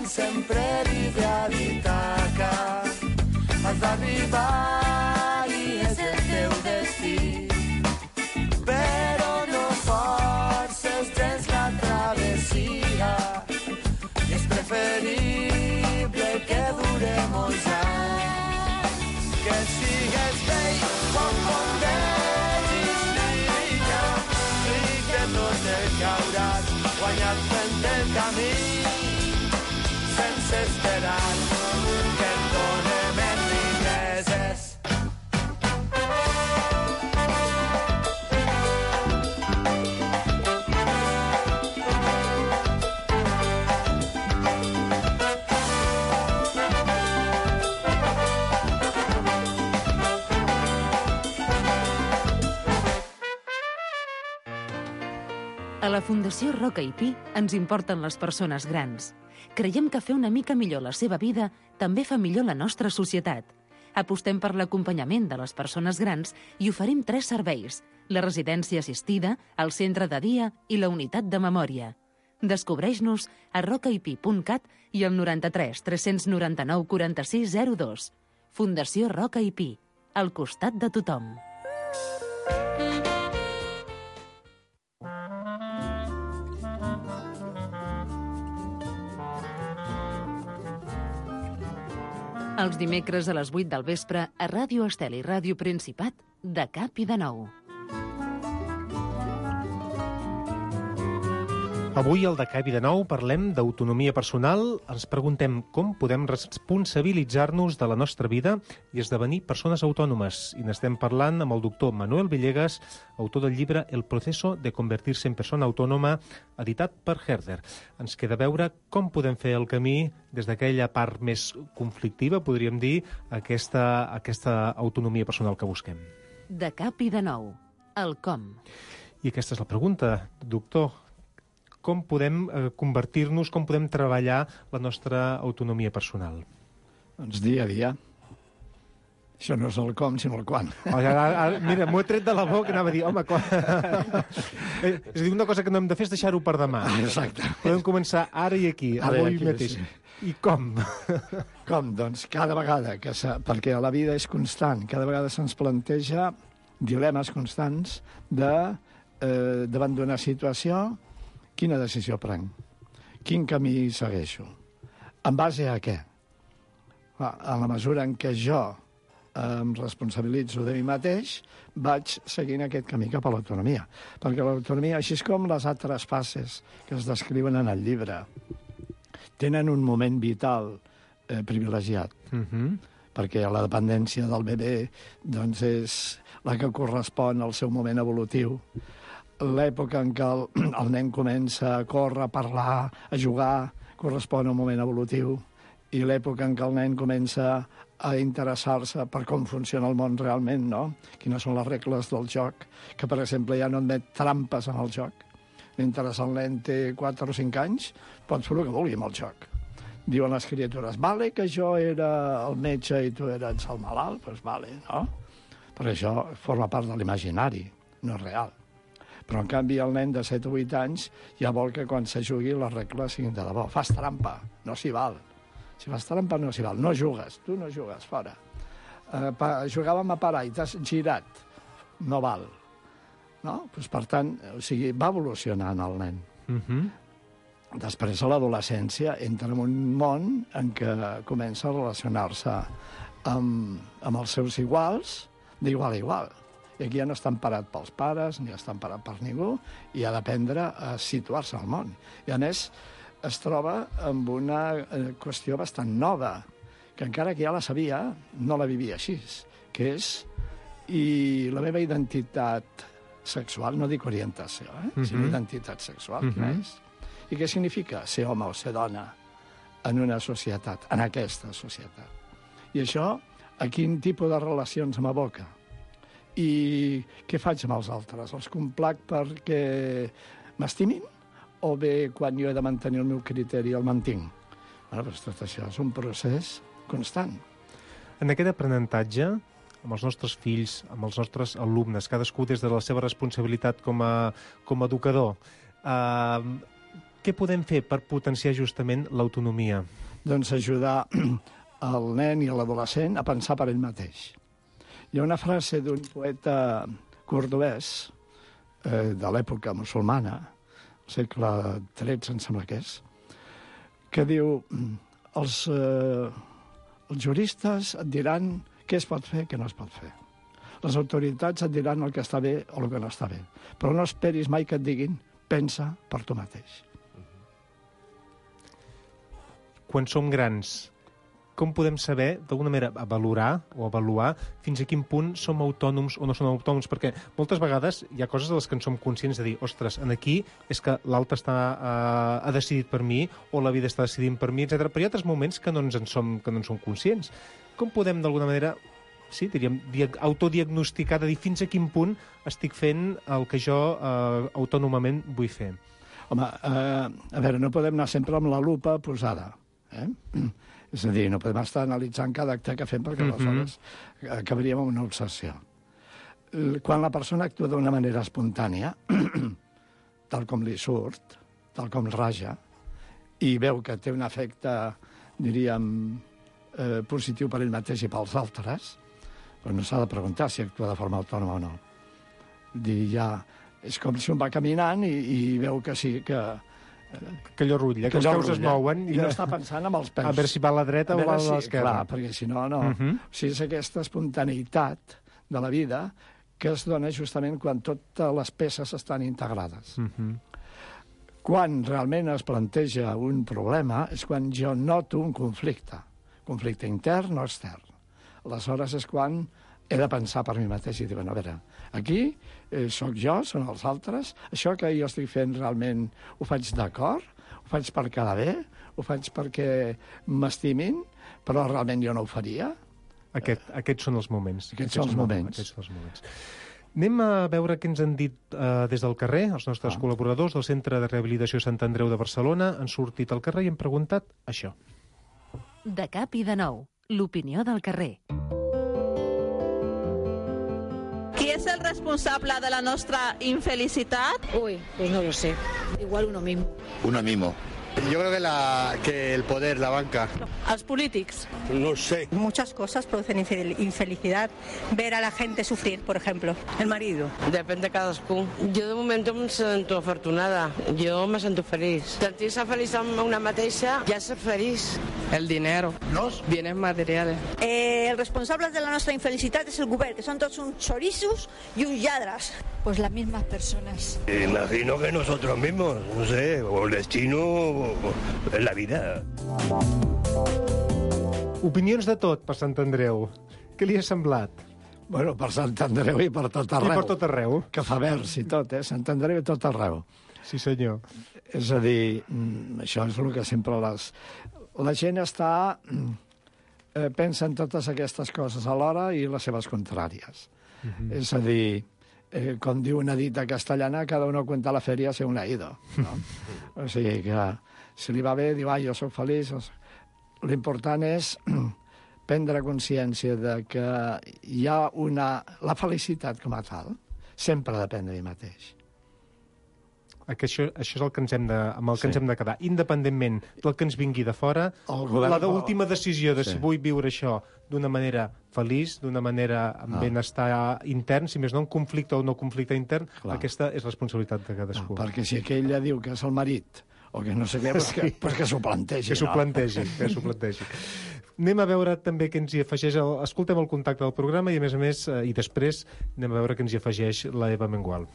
Sempre arriba a l'Ítaca, has d'arribar i és el teu destí, però no forces gens la travessia, és preferible que dure molts anys, que sigues vell quan fondegis l'illa, i que tot el que hauràs guanyat fent el camí, sense esperar que et donem en riqueses. A la Fundació Roca i Pi ens importen les persones grans. Creiem que fer una mica millor la seva vida també fa millor la nostra societat. Apostem per l'acompanyament de les persones grans i oferim 3 serveis: la residència assistida, el centre de dia i la unitat de memòria. Descobreix-nos a rocaipi.cat i al 93 399 46 02. Fundació Roca i Pi, al costat de tothom. Els dimecres a les 8 del vespre a Ràdio Estel i Ràdio Principat, de cap i de nou. Avui, al De Cap i de Nou, parlem d'autonomia personal, ens preguntem com podem responsabilitzar-nos de la nostra vida i esdevenir persones autònomes. I n'estem parlant amb el doctor Manuel Villegas, autor del llibre El proceso de convertirse en persona autònoma, editat per Herder. Ens queda veure com podem fer el camí des d'aquella part més conflictiva, podríem dir, aquesta autonomia personal que busquem. De Cap i de Nou, el com. I aquesta és la pregunta, doctor. Com podem convertir-nos, com podem treballar la nostra autonomia personal? Doncs dia a dia. Això no és el com, sinó el quan. Mira, m'ho he tret de la boca, anava a dir, home, quan... És a dir, una cosa que no hem de fer és deixar-ho per demà. Exacte. Podem començar ara i aquí, avui mateix. I com? Com? Doncs cada vegada, perquè la vida és constant, cada vegada se'ns planteja dilemes constants davant d'una situació. Quina decisió prenc? Quin camí segueixo? En base a què? En la mesura en què jo em responsabilitzo de mi mateix, vaig seguint aquest camí cap a l'autonomia. Perquè l'autonomia, així com les altres fases que es descriuen en el llibre, tenen un moment vital privilegiat. Perquè la dependència del bebè doncs, és la que correspon al seu moment evolutiu. L'època en què el nen comença a córrer, a parlar, a jugar, correspon a un moment evolutiu, i l'època en què el nen comença a interessar-se per com funciona el món realment, no? Quines són les regles del joc, que, per exemple, ja no admet trampes en el joc. Mentre el nen té 4 o 5 anys, pot fer el que vulgui amb el joc. Diuen les criatures, vale que jo era el metge i tu eres el malalt? Doncs vale, no? Perquè això forma part de l'imaginari, no és real. Però, en canvi, el nen de 7 o 8 anys ja vol que quan se jugui les regles siguin de debò. Fas trampa, no s'hi val. Si fas trampa, no s'hi val. No jugues, tu no jugues, fora. Jugàvem a parar i t'has girat, no val. No? Pues, per tant, o sigui, va evolucionant el nen. Després, a l'adolescència, entra en un món en què comença a relacionar-se amb els seus iguals, d'igual a igual. I aquí ja no està emparat pels pares, ni està emparat per ningú, i ha d'aprendre a situar-se al món. I, a més, es troba amb una qüestió bastant nova, que encara que ja la sabia, no la vivia així, que és i la meva identitat sexual, no dic orientació, sinó identitat sexual, quina és? I què significa ser home o ser dona en una societat, en aquesta societat? I això, a quin tipus de relacions m'aboca? I què faig amb els altres? Els complac perquè m'estimin? O bé, quan jo he de mantenir el meu criteri, el mantinc? Doncs tot això és un procés constant. En aquest aprenentatge, amb els nostres fills, amb els nostres alumnes, cadascú des de la seva responsabilitat com a educador, què podem fer per potenciar justament l'autonomia? Doncs ajudar el nen i l'adolescent a pensar per ell mateix. Hi ha una frase d'un poeta cordobès de l'època musulmana, al segle XIII, em sembla que és, que diu els juristes et diran què es pot fer i què no es pot fer. Les autoritats et diran el que està bé o el que no està bé. Però no esperis mai que et diguin pensa per tu mateix. Quan som grans, com podem saber, d'alguna manera, avaluar fins a quin punt som autònoms o no som autònoms? Perquè moltes vegades hi ha coses de les que en som conscients de dir, ostres, aquí és que l'altre ha decidit per mi o la vida està decidint per mi, etc. Però hi ha altres moments que no en som conscients. Com podem, d'alguna manera, sí, diríem, autodiagnosticar, de dir fins a quin punt estic fent el que jo autònomament vull fer. Home, a veure, no podem anar sempre amb la lupa posada, És a dir, no podem estar analitzant cada acte que fem perquè aleshores acabaríem amb una obsessió. Quan la persona actua d'una manera espontània, tal com li surt, tal com raja, i veu que té un efecte, diríem, positiu per ell mateix i pels altres, però no s'ha de preguntar si actua de forma autònoma o no. És com si un va caminant i veu que sí, que allò rutlla, que els peus es mouen. I no està pensant amb els peus. A veure si va a la dreta o va a l'esquerra. Clar, perquè si no, no. O sigui, és aquesta espontaneïtat de la vida que es dona justament quan totes les peces estan integrades. Quan realment es planteja un problema és quan jo noto un conflicte intern o extern. Aleshores és quan he de pensar per mi mateix i dir, bueno, a veure, aquí sóc jo, són els altres, això que jo estic fent realment ho faig d'acord, ho faig per quedar bé, ho faig perquè m'estimin, però realment jo no ho faria. Aquests són els moments. Aquests són els moments. Anem a veure què ens han dit des del carrer, els nostres col·laboradors del Centre de Rehabilitació Sant Andreu de Barcelona han sortit al carrer i han preguntat això. De cap i de nou, l'opinió del carrer. ¿Quién es el responsable de la nuestra infelicidad? Uy, pues no lo sé. Igual uno mismo. Uno mismo. Yo creo que el poder, la banca. ¿Los políticos? No sé. Muchas cosas producen infelicidad. Ver a la gente sufrir, por ejemplo. El marido. Depèn de cadascú. Jo de moment em sento afortunada. Jo me sento feliç. Sentir-se feliç amb una mateixa ja és ser feliç. El dinero. Los bienes materiales. El responsable de la nuestra infelicidad es el govern, que son todos uns chorizos y uns lladres. Pues las mismas personas. Imagino que nosotros mismos, no sé, o el destino o la vida. Opinions de tot per Sant Andreu. Què li ha semblat? Bueno, per Sant Andreu i per tot arreu. I per tot arreu. Que fa vers i tot, Sant Andreu i tot arreu. Sí, senyor. És a dir, això és el que sempre la gent està... pensa en totes aquestes coses alhora i les seves contràries. És a dir, com diu una dita castellana, cada uno cuenta la feria según le ha ido. No? O sigui que si li va bé, diu, jo soc feliç. L'important és prendre consciència de que hi ha la felicitat com a tal sempre depèn de mi mateix. Això és el que ens hem de quedar. Independentment del que ens vingui de fora, la última decisió de si vull viure això d'una manera feliç, d'una manera amb benestar intern, si més no un conflicte o no conflicte intern, aquesta és responsabilitat de cadascú. Perquè si aquell ja diu que és el marit o que no sé què, pues que s'ho plantegi. Que s'ho plantegi. Anem a veure també què ens hi afegeix... Escoltem el contacte del programa i, a més, i després anem a veure què ens hi afegeix la Eva Mengual.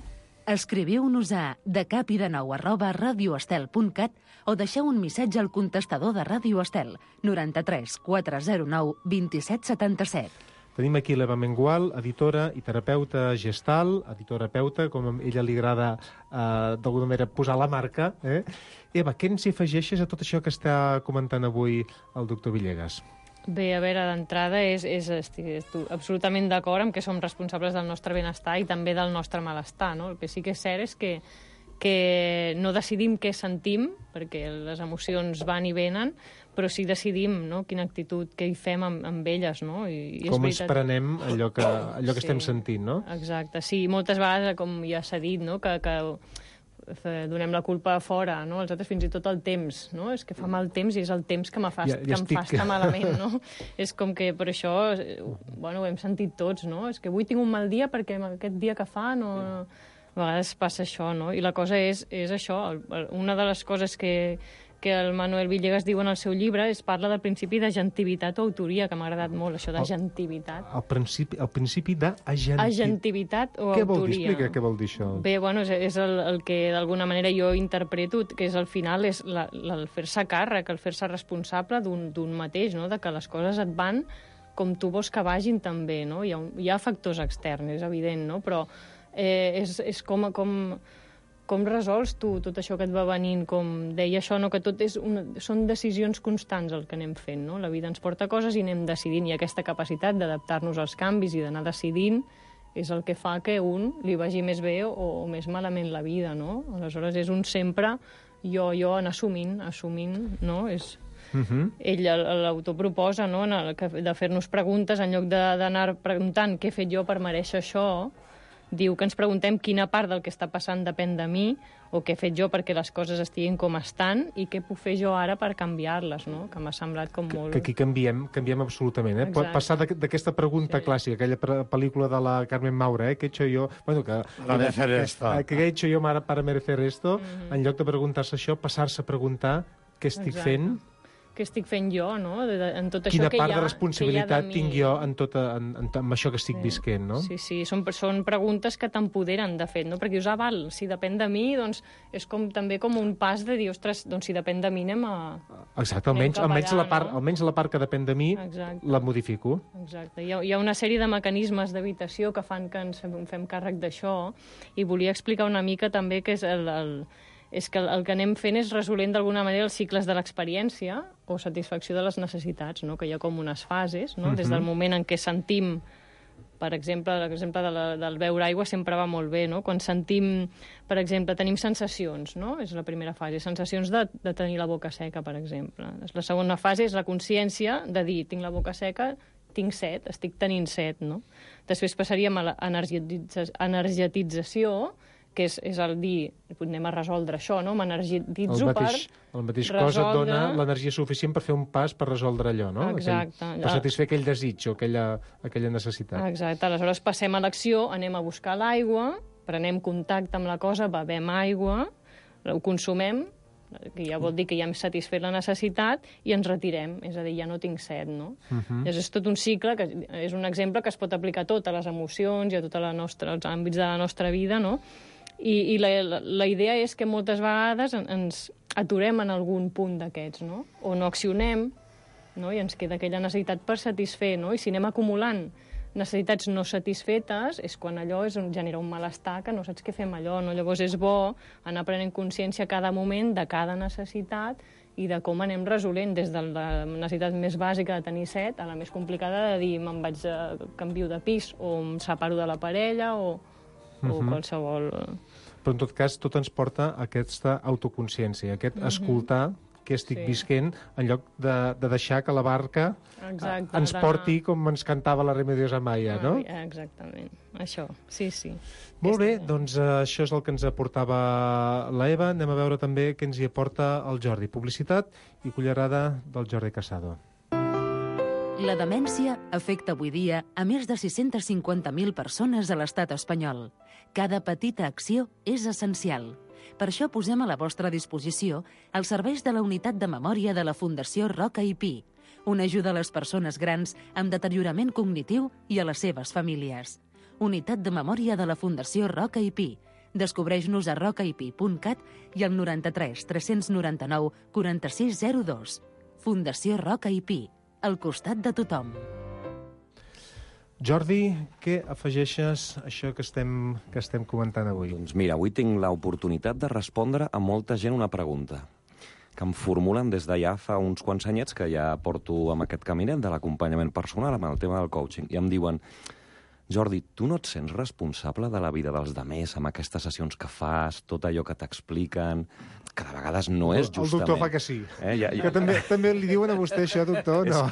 Escriviu-nos a decapidenou@radioestel.cat o deixeu un missatge al contestador de Ràdio Estel 93 409 27 77. Tenim aquí l'Eva Mengual, editora i terapeuta gestal, editora-peuta, com a ella li agrada d'alguna manera posar la marca. Eva, què ens hi afegeixes a tot això que està comentant avui el doctor Villegas? Bé, a veure, d'entrada estic absolutament d'acord amb que som responsables del nostre benestar i també del nostre malestar, no? El que sí que és cert és que no decidim què sentim, perquè les emocions van i venen, però sí decidim, no?, quina actitud, què hi fem amb elles, no? Com ens prenem allò que estem sentint, no? Exacte, sí. Moltes vegades, com ja s'ha dit, no?, que donem la culpa a fora, no? Els altres, fins i tot el temps, no? És que fa mal temps i és el temps que em fa estar malament, no? És com que per això, bueno, ho hem sentit tots, no? És que avui tinc un mal dia perquè aquest dia que fa no... A vegades passa això, no? I la cosa és això. Una de les coses que el Manuel Villegas diu en el seu llibre parla del principi d'agentivitat o autoria, que m'ha agradat molt, això d'agentivitat. El principi d'agentivitat. Agentivitat o autoria. Què vol dir? Explica què vol dir això. Bé, bueno, és el que d'alguna manera jo interpreto, que és al final és el fer-se càrrec, el fer-se responsable d'un mateix, no? De que les coses et van com tu vols que vagin també, no? Hi ha factors externs, és evident, no? Però és com com resols tu tot això que et va venint? Com deia això, no? Que tot són decisions constants el que anem fent, no? La vida ens porta coses i anem decidint, i aquesta capacitat d'adaptar-nos als canvis i d'anar decidint és el que fa que un li vagi més bé o més malament la vida, no? Aleshores és un sempre jo anar assumint, no? Ell, l'autor, proposa, no? De fer-nos preguntes en lloc d'anar preguntant què he fet jo per mereixer això. Diu que ens preguntem quina part del que està passant depèn de mi, o què he fet jo perquè les coses estiguin com estan, i què puc fer jo ara per canviar-les, no? Que m'ha semblat com molt... Que aquí canviem absolutament, eh? Exacte. Passar d'aquesta pregunta clàssica, aquella pel·lícula de la Carmen Maura, ¿qué he hecho yo? Bueno, ¿qué he hecho yo para merecer esto? En lloc de preguntar-se això, passar-se a preguntar què estic fent... Què estic fent jo, no? En tot això Quina part de responsabilitat tinc jo amb això que estic visquent, no? Sí, són preguntes que t'empoderen, de fet, no? Perquè dius, val, si depèn de mi, doncs és també com un pas de dir, ostres, doncs si depèn de mi anem a... Exacte, almenys la part que depèn de mi la modifico. Exacte. Hi ha una sèrie de mecanismes d'evitació que fan que ens fem càrrec d'això, i volia explicar una mica també que és que el que anem fent és resolent d'alguna manera els cicles de l'experiència o satisfacció de les necessitats, no? Que hi ha com unes fases, no? Des del moment en què sentim, per exemple, l'exemple del beure aigua sempre va molt bé, no? Quan sentim, per exemple, tenim sensacions, no? És la primera fase, sensacions de tenir la boca seca, per exemple. La segona fase és la consciència de dir, tinc la boca seca, tinc set, estic tenint set, no? Després passaríem a l'energetització, que és el dir, anem a resoldre això, no? M'energititzo per resoldre... El mateix cos et dona l'energia suficient per fer un pas per resoldre allò, no? Exacte. Per satisfer aquell desig o aquella necessitat. Exacte. Aleshores passem a l'acció, anem a buscar l'aigua, prenem contacte amb la cosa, bevem aigua, ho consumem, que ja vol dir que ja hem satisfet la necessitat, i ens retirem, és a dir, ja no tinc set, no? És tot un cicle, que és un exemple que es pot aplicar a totes les emocions i a tots els àmbits de la nostra vida, no? I la idea és que moltes vegades ens aturem en algun punt d'aquests, no? O no accionem, no? I ens queda aquella necessitat per satisfer, no? I si anem acumulant necessitats no satisfetes, és quan allò genera un malestar que no saps què fer amb allò, no? Llavors és bo anar prenent consciència a cada moment de cada necessitat i de com anem resolent, des de la necessitat més bàsica de tenir set a la més complicada de dir me'n vaig canvio de pis, o em separo de la parella, o qualsevol... Però en tot cas tot ens porta a aquesta autoconsciència, aquest escoltar què estic visquent, en lloc de deixar que la barca ens porti com ens cantava la Remedios Amaya, no? Exactament, això, sí. Molt bé, doncs això és el que ens aportava la Eva. Anem a veure també què ens hi aporta el Jordi. Publicitat i cullerada del Jordi Casado. La demència afecta avui dia a més de 650.000 persones a l'estat espanyol. Cada petita acció és essencial. Per això posem a la vostra disposició els serveis de la Unitat de Memòria de la Fundació Roca i Pi, una ajuda a les persones grans amb deteriorament cognitiu i a les seves famílies. Unitat de Memòria de la Fundació Roca i Pi. Descobreix-nos a rocaipi.cat i al 93 399 4602. Fundació Roca i Pi, al costat de tothom. Jordi, què afegeixes a això que estem comentant avui? Doncs mira, avui tinc l'oportunitat de respondre a molta gent una pregunta que em formulen des de ja fa uns quants anyets que ja porto amb aquest caminet de l'acompanyament personal, amb el tema del coaching, i em diuen: Jordi, tu no et sents responsable de la vida dels demés amb aquestes sessions que fas, tot allò que t'expliquen, que de vegades no és justament... El doctor fa que sí. Que també li diuen a vostè això, doctor, no?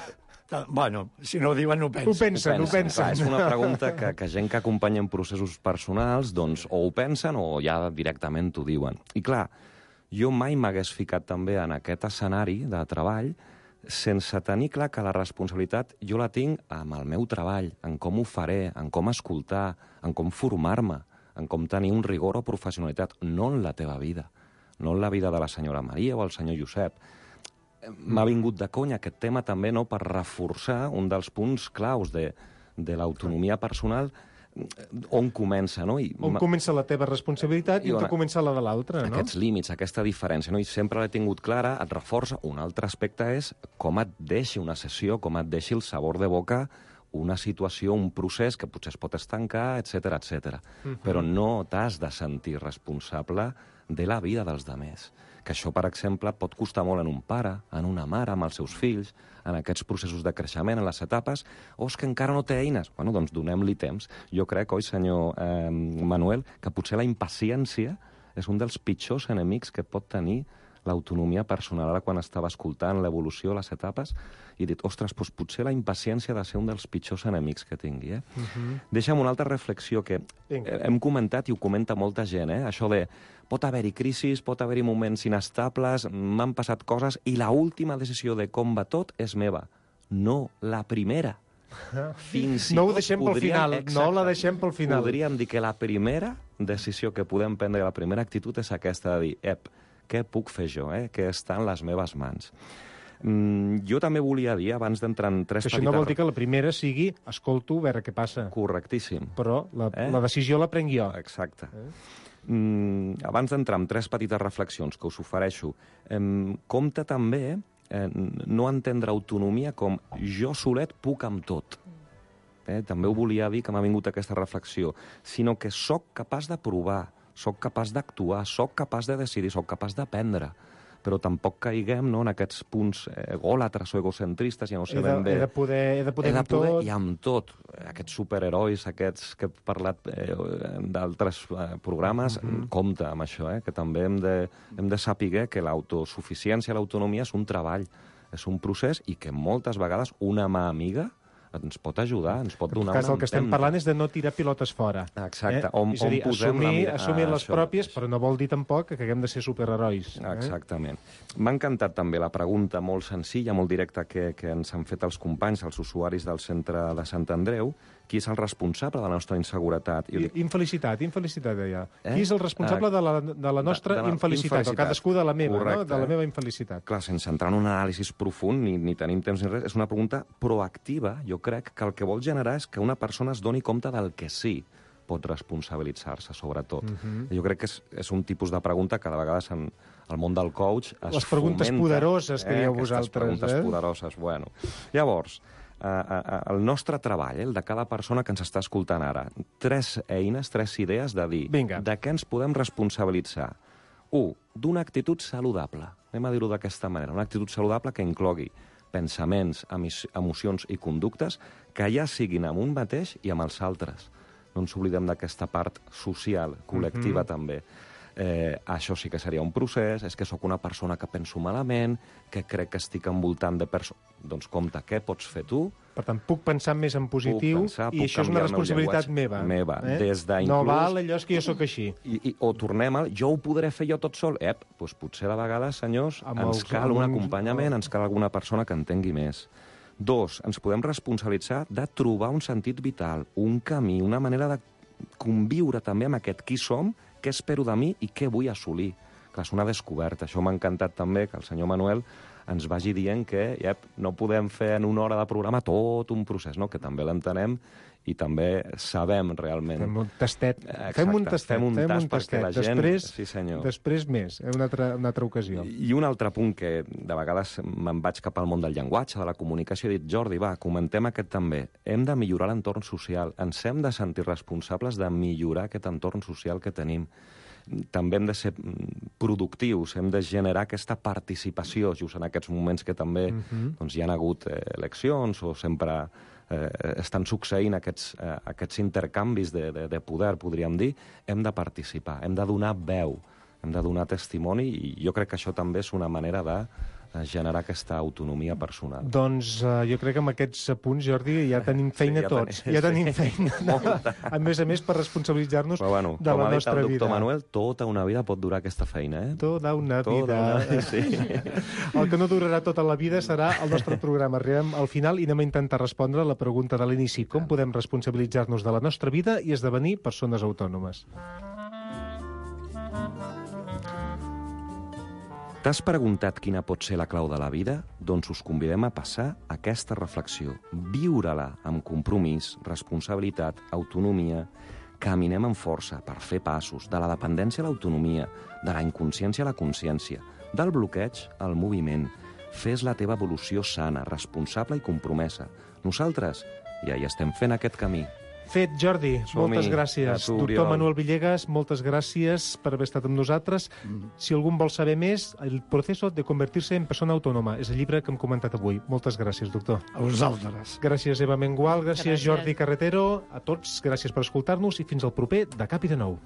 Bueno, si no ho diuen, ho pensen. Ho pensen. Clar, és una pregunta que gent que acompanya en processos personals, doncs, o ho pensen o ja directament t'ho diuen. I clar, jo mai m'hagués ficat també en aquest escenari de treball sense tenir clar que la responsabilitat jo la tinc amb el meu treball, en com ho faré, en com escoltar, en com formar-me, en com tenir un rigor o professionalitat, no en la teva vida, no en la vida de la senyora Maria o el senyor Josep. M'ha vingut de conya aquest tema també, no?, per reforçar un dels punts claus de l'autonomia personal, on comença, no? On comença la teva responsabilitat i on comença la de l'altre, no? Aquests límits, aquesta diferència, no? I sempre l'he tingut clara, et reforça. Un altre aspecte és com et deixi una sessió, com et deixi el sabor de boca una situació, un procés que potser es pot estancar, etc etc. Però no t'has de sentir responsable de la vida dels demés. Que això, per exemple, pot costar molt en un pare, en una mare, amb els seus fills, en aquests processos de creixement, en les etapes, o és que encara no té eines. Bueno, doncs donem-li temps. Jo crec, oi, senyor Manuel, que potser la impaciència és un dels pitjors enemics que pot tenir l'autonomia personal. Ara, quan estava escoltant l'evolució, les etapes, i he dit, ostres, doncs potser la impaciència ha de ser un dels pitjors enemics que tingui. Deixa'm una altra reflexió que hem comentat i ho comenta molta gent, això de pot haver-hi crisis, pot haver-hi moments inestables, m'han passat coses, i l'última decisió de com va tot és meva. No, la primera. No ho deixem pel final, no la deixem pel final. Podríem dir que la primera decisió que podem prendre, la primera actitud és aquesta de dir, què puc fer jo, què està en les meves mans? Jo també volia dir, abans d'entrar en tres petites... Això no vol dir que la primera sigui escolto, a veure què passa. Correctíssim. Però la decisió la prenc jo. Exacte. Abans d'entrar en tres petites reflexions que us ofereixo, compte també no entendre autonomia com jo solet puc amb tot. També ho volia dir, que m'ha vingut aquesta reflexió, sinó que sóc capaç de provar, sóc capaç d'actuar, sóc capaç de decidir, sóc capaç d'aprendre. Però tampoc caiguem en aquests punts egòlatres o egocentristes, ja no sé ben bé. He de poder amb tot. I amb tot. Aquests superherois, aquests que he parlat d'altres programes, compte amb això, que també hem de saber que l'autosuficiència, l'autonomia és un treball, és un procés i que moltes vegades una mà amiga ens pot ajudar, ens pot donar una empenta. El que estem parlant és de no tirar pilotes fora. Exacte. És a dir, assumir les pròpies, però no vol dir tampoc que haguem de ser superherois. Exactament. M'ha encantat també la pregunta molt senzilla, molt directa, que ens han fet els companys, els usuaris del centre de Sant Andreu. Qui és el responsable de la nostra inseguretat? Infelicitat, deia. Qui és el responsable de la nostra infelicitat? O cadascú de la meva, no? De la meva infelicitat. Clar, sense entrar en un anàlisi profund, ni tenim temps ni res, és una pregunta proactiva. Jo crec que el que vol generar és que una persona es doni compte del que sí pot responsabilitzar-se, sobretot. Jo crec que és un tipus de pregunta que de vegades en el món del coach es fomenta. Les preguntes poderoses que dieu vosaltres. Aquestes preguntes poderoses, bueno. Llavors, el nostre treball, el de cada persona que ens està escoltant ara, tres eines, tres idees de dir de què ens podem responsabilitzar. 1. D'una actitud saludable. Anem a dir-ho d'aquesta manera. Una actitud saludable que inclogui pensaments, emocions i conductes que ja siguin amb un mateix i amb els altres. No ens oblidem d'aquesta part social, col·lectiva també. Això sí que seria un procés, és que sóc una persona que penso malament, que crec que estic envoltant de persones... Doncs compte, què pots fer tu? Per tant, puc pensar més en positiu i això és una responsabilitat meva. Des de no val allò és que jo sóc així. O tornem a... Jo ho podré fer jo tot sol? Doncs potser de vegades, senyors, ens cal un acompanyament, ens cal alguna persona que entengui més. 2. Ens podem responsabilitzar de trobar un sentit vital, un camí, una manera de conviure també amb aquest qui som, què espero de mi i què vull assolir. Clar, és una descoberta. Això m'ha encantat també que el senyor Manuel ens vagi dient que no podem fer en una hora de programa tot un procés, no? Que també l'entenem i també sabem realment. Fem un tastet. Fem un tastet. Després més, una altra ocasió. I un altre punt que de vegades me'n vaig cap al món del llenguatge, de la comunicació, he dit, Jordi, va, comentem aquest també. Hem de millorar l'entorn social. Ens hem de sentir responsables de millorar aquest entorn social que tenim. També hem de ser productius, hem de generar aquesta participació, just en aquests moments que també hi ha hagut eleccions o sempre estan succeint aquests intercanvis de poder, podríem dir. Hem de participar, hem de donar veu, hem de donar testimoni i jo crec que això també és una manera de generar aquesta autonomia personal. Doncs jo crec que amb aquests punts, Jordi, ja tenim feina tots. Ja tenim feina. A més, per responsabilitzar-nos de la nostra vida. Com ha dit el doctor Manuel, tota una vida pot durar aquesta feina. Tota una vida. El que no durarà tota la vida serà el nostre programa. Arribem al final i anem a intentar respondre la pregunta de l'inici. Com podem responsabilitzar-nos de la nostra vida i esdevenir persones autònomes? T'has preguntat quina pot ser la clau de la vida? Doncs us convidem a passar aquesta reflexió. Viure-la amb compromís, responsabilitat, autonomia. Caminem amb força per fer passos de la dependència a l'autonomia, de la inconsciència a la consciència, del bloqueig al moviment. Fes la teva evolució sana, responsable i compromesa. Nosaltres ja hi estem fent aquest camí. Fet, Jordi, moltes gràcies. Doctor Manuel Villegas, moltes gràcies per haver estat amb nosaltres. Si algú vol saber més, El proceso de convertirse en persona autònoma és el llibre que hem comentat avui. Moltes gràcies, doctor. A vosaltres. Gràcies, Eva Mengual, gràcies, Jordi Carretero. A tots, gràcies per escoltar-nos i fins al proper De Cap i de Nou.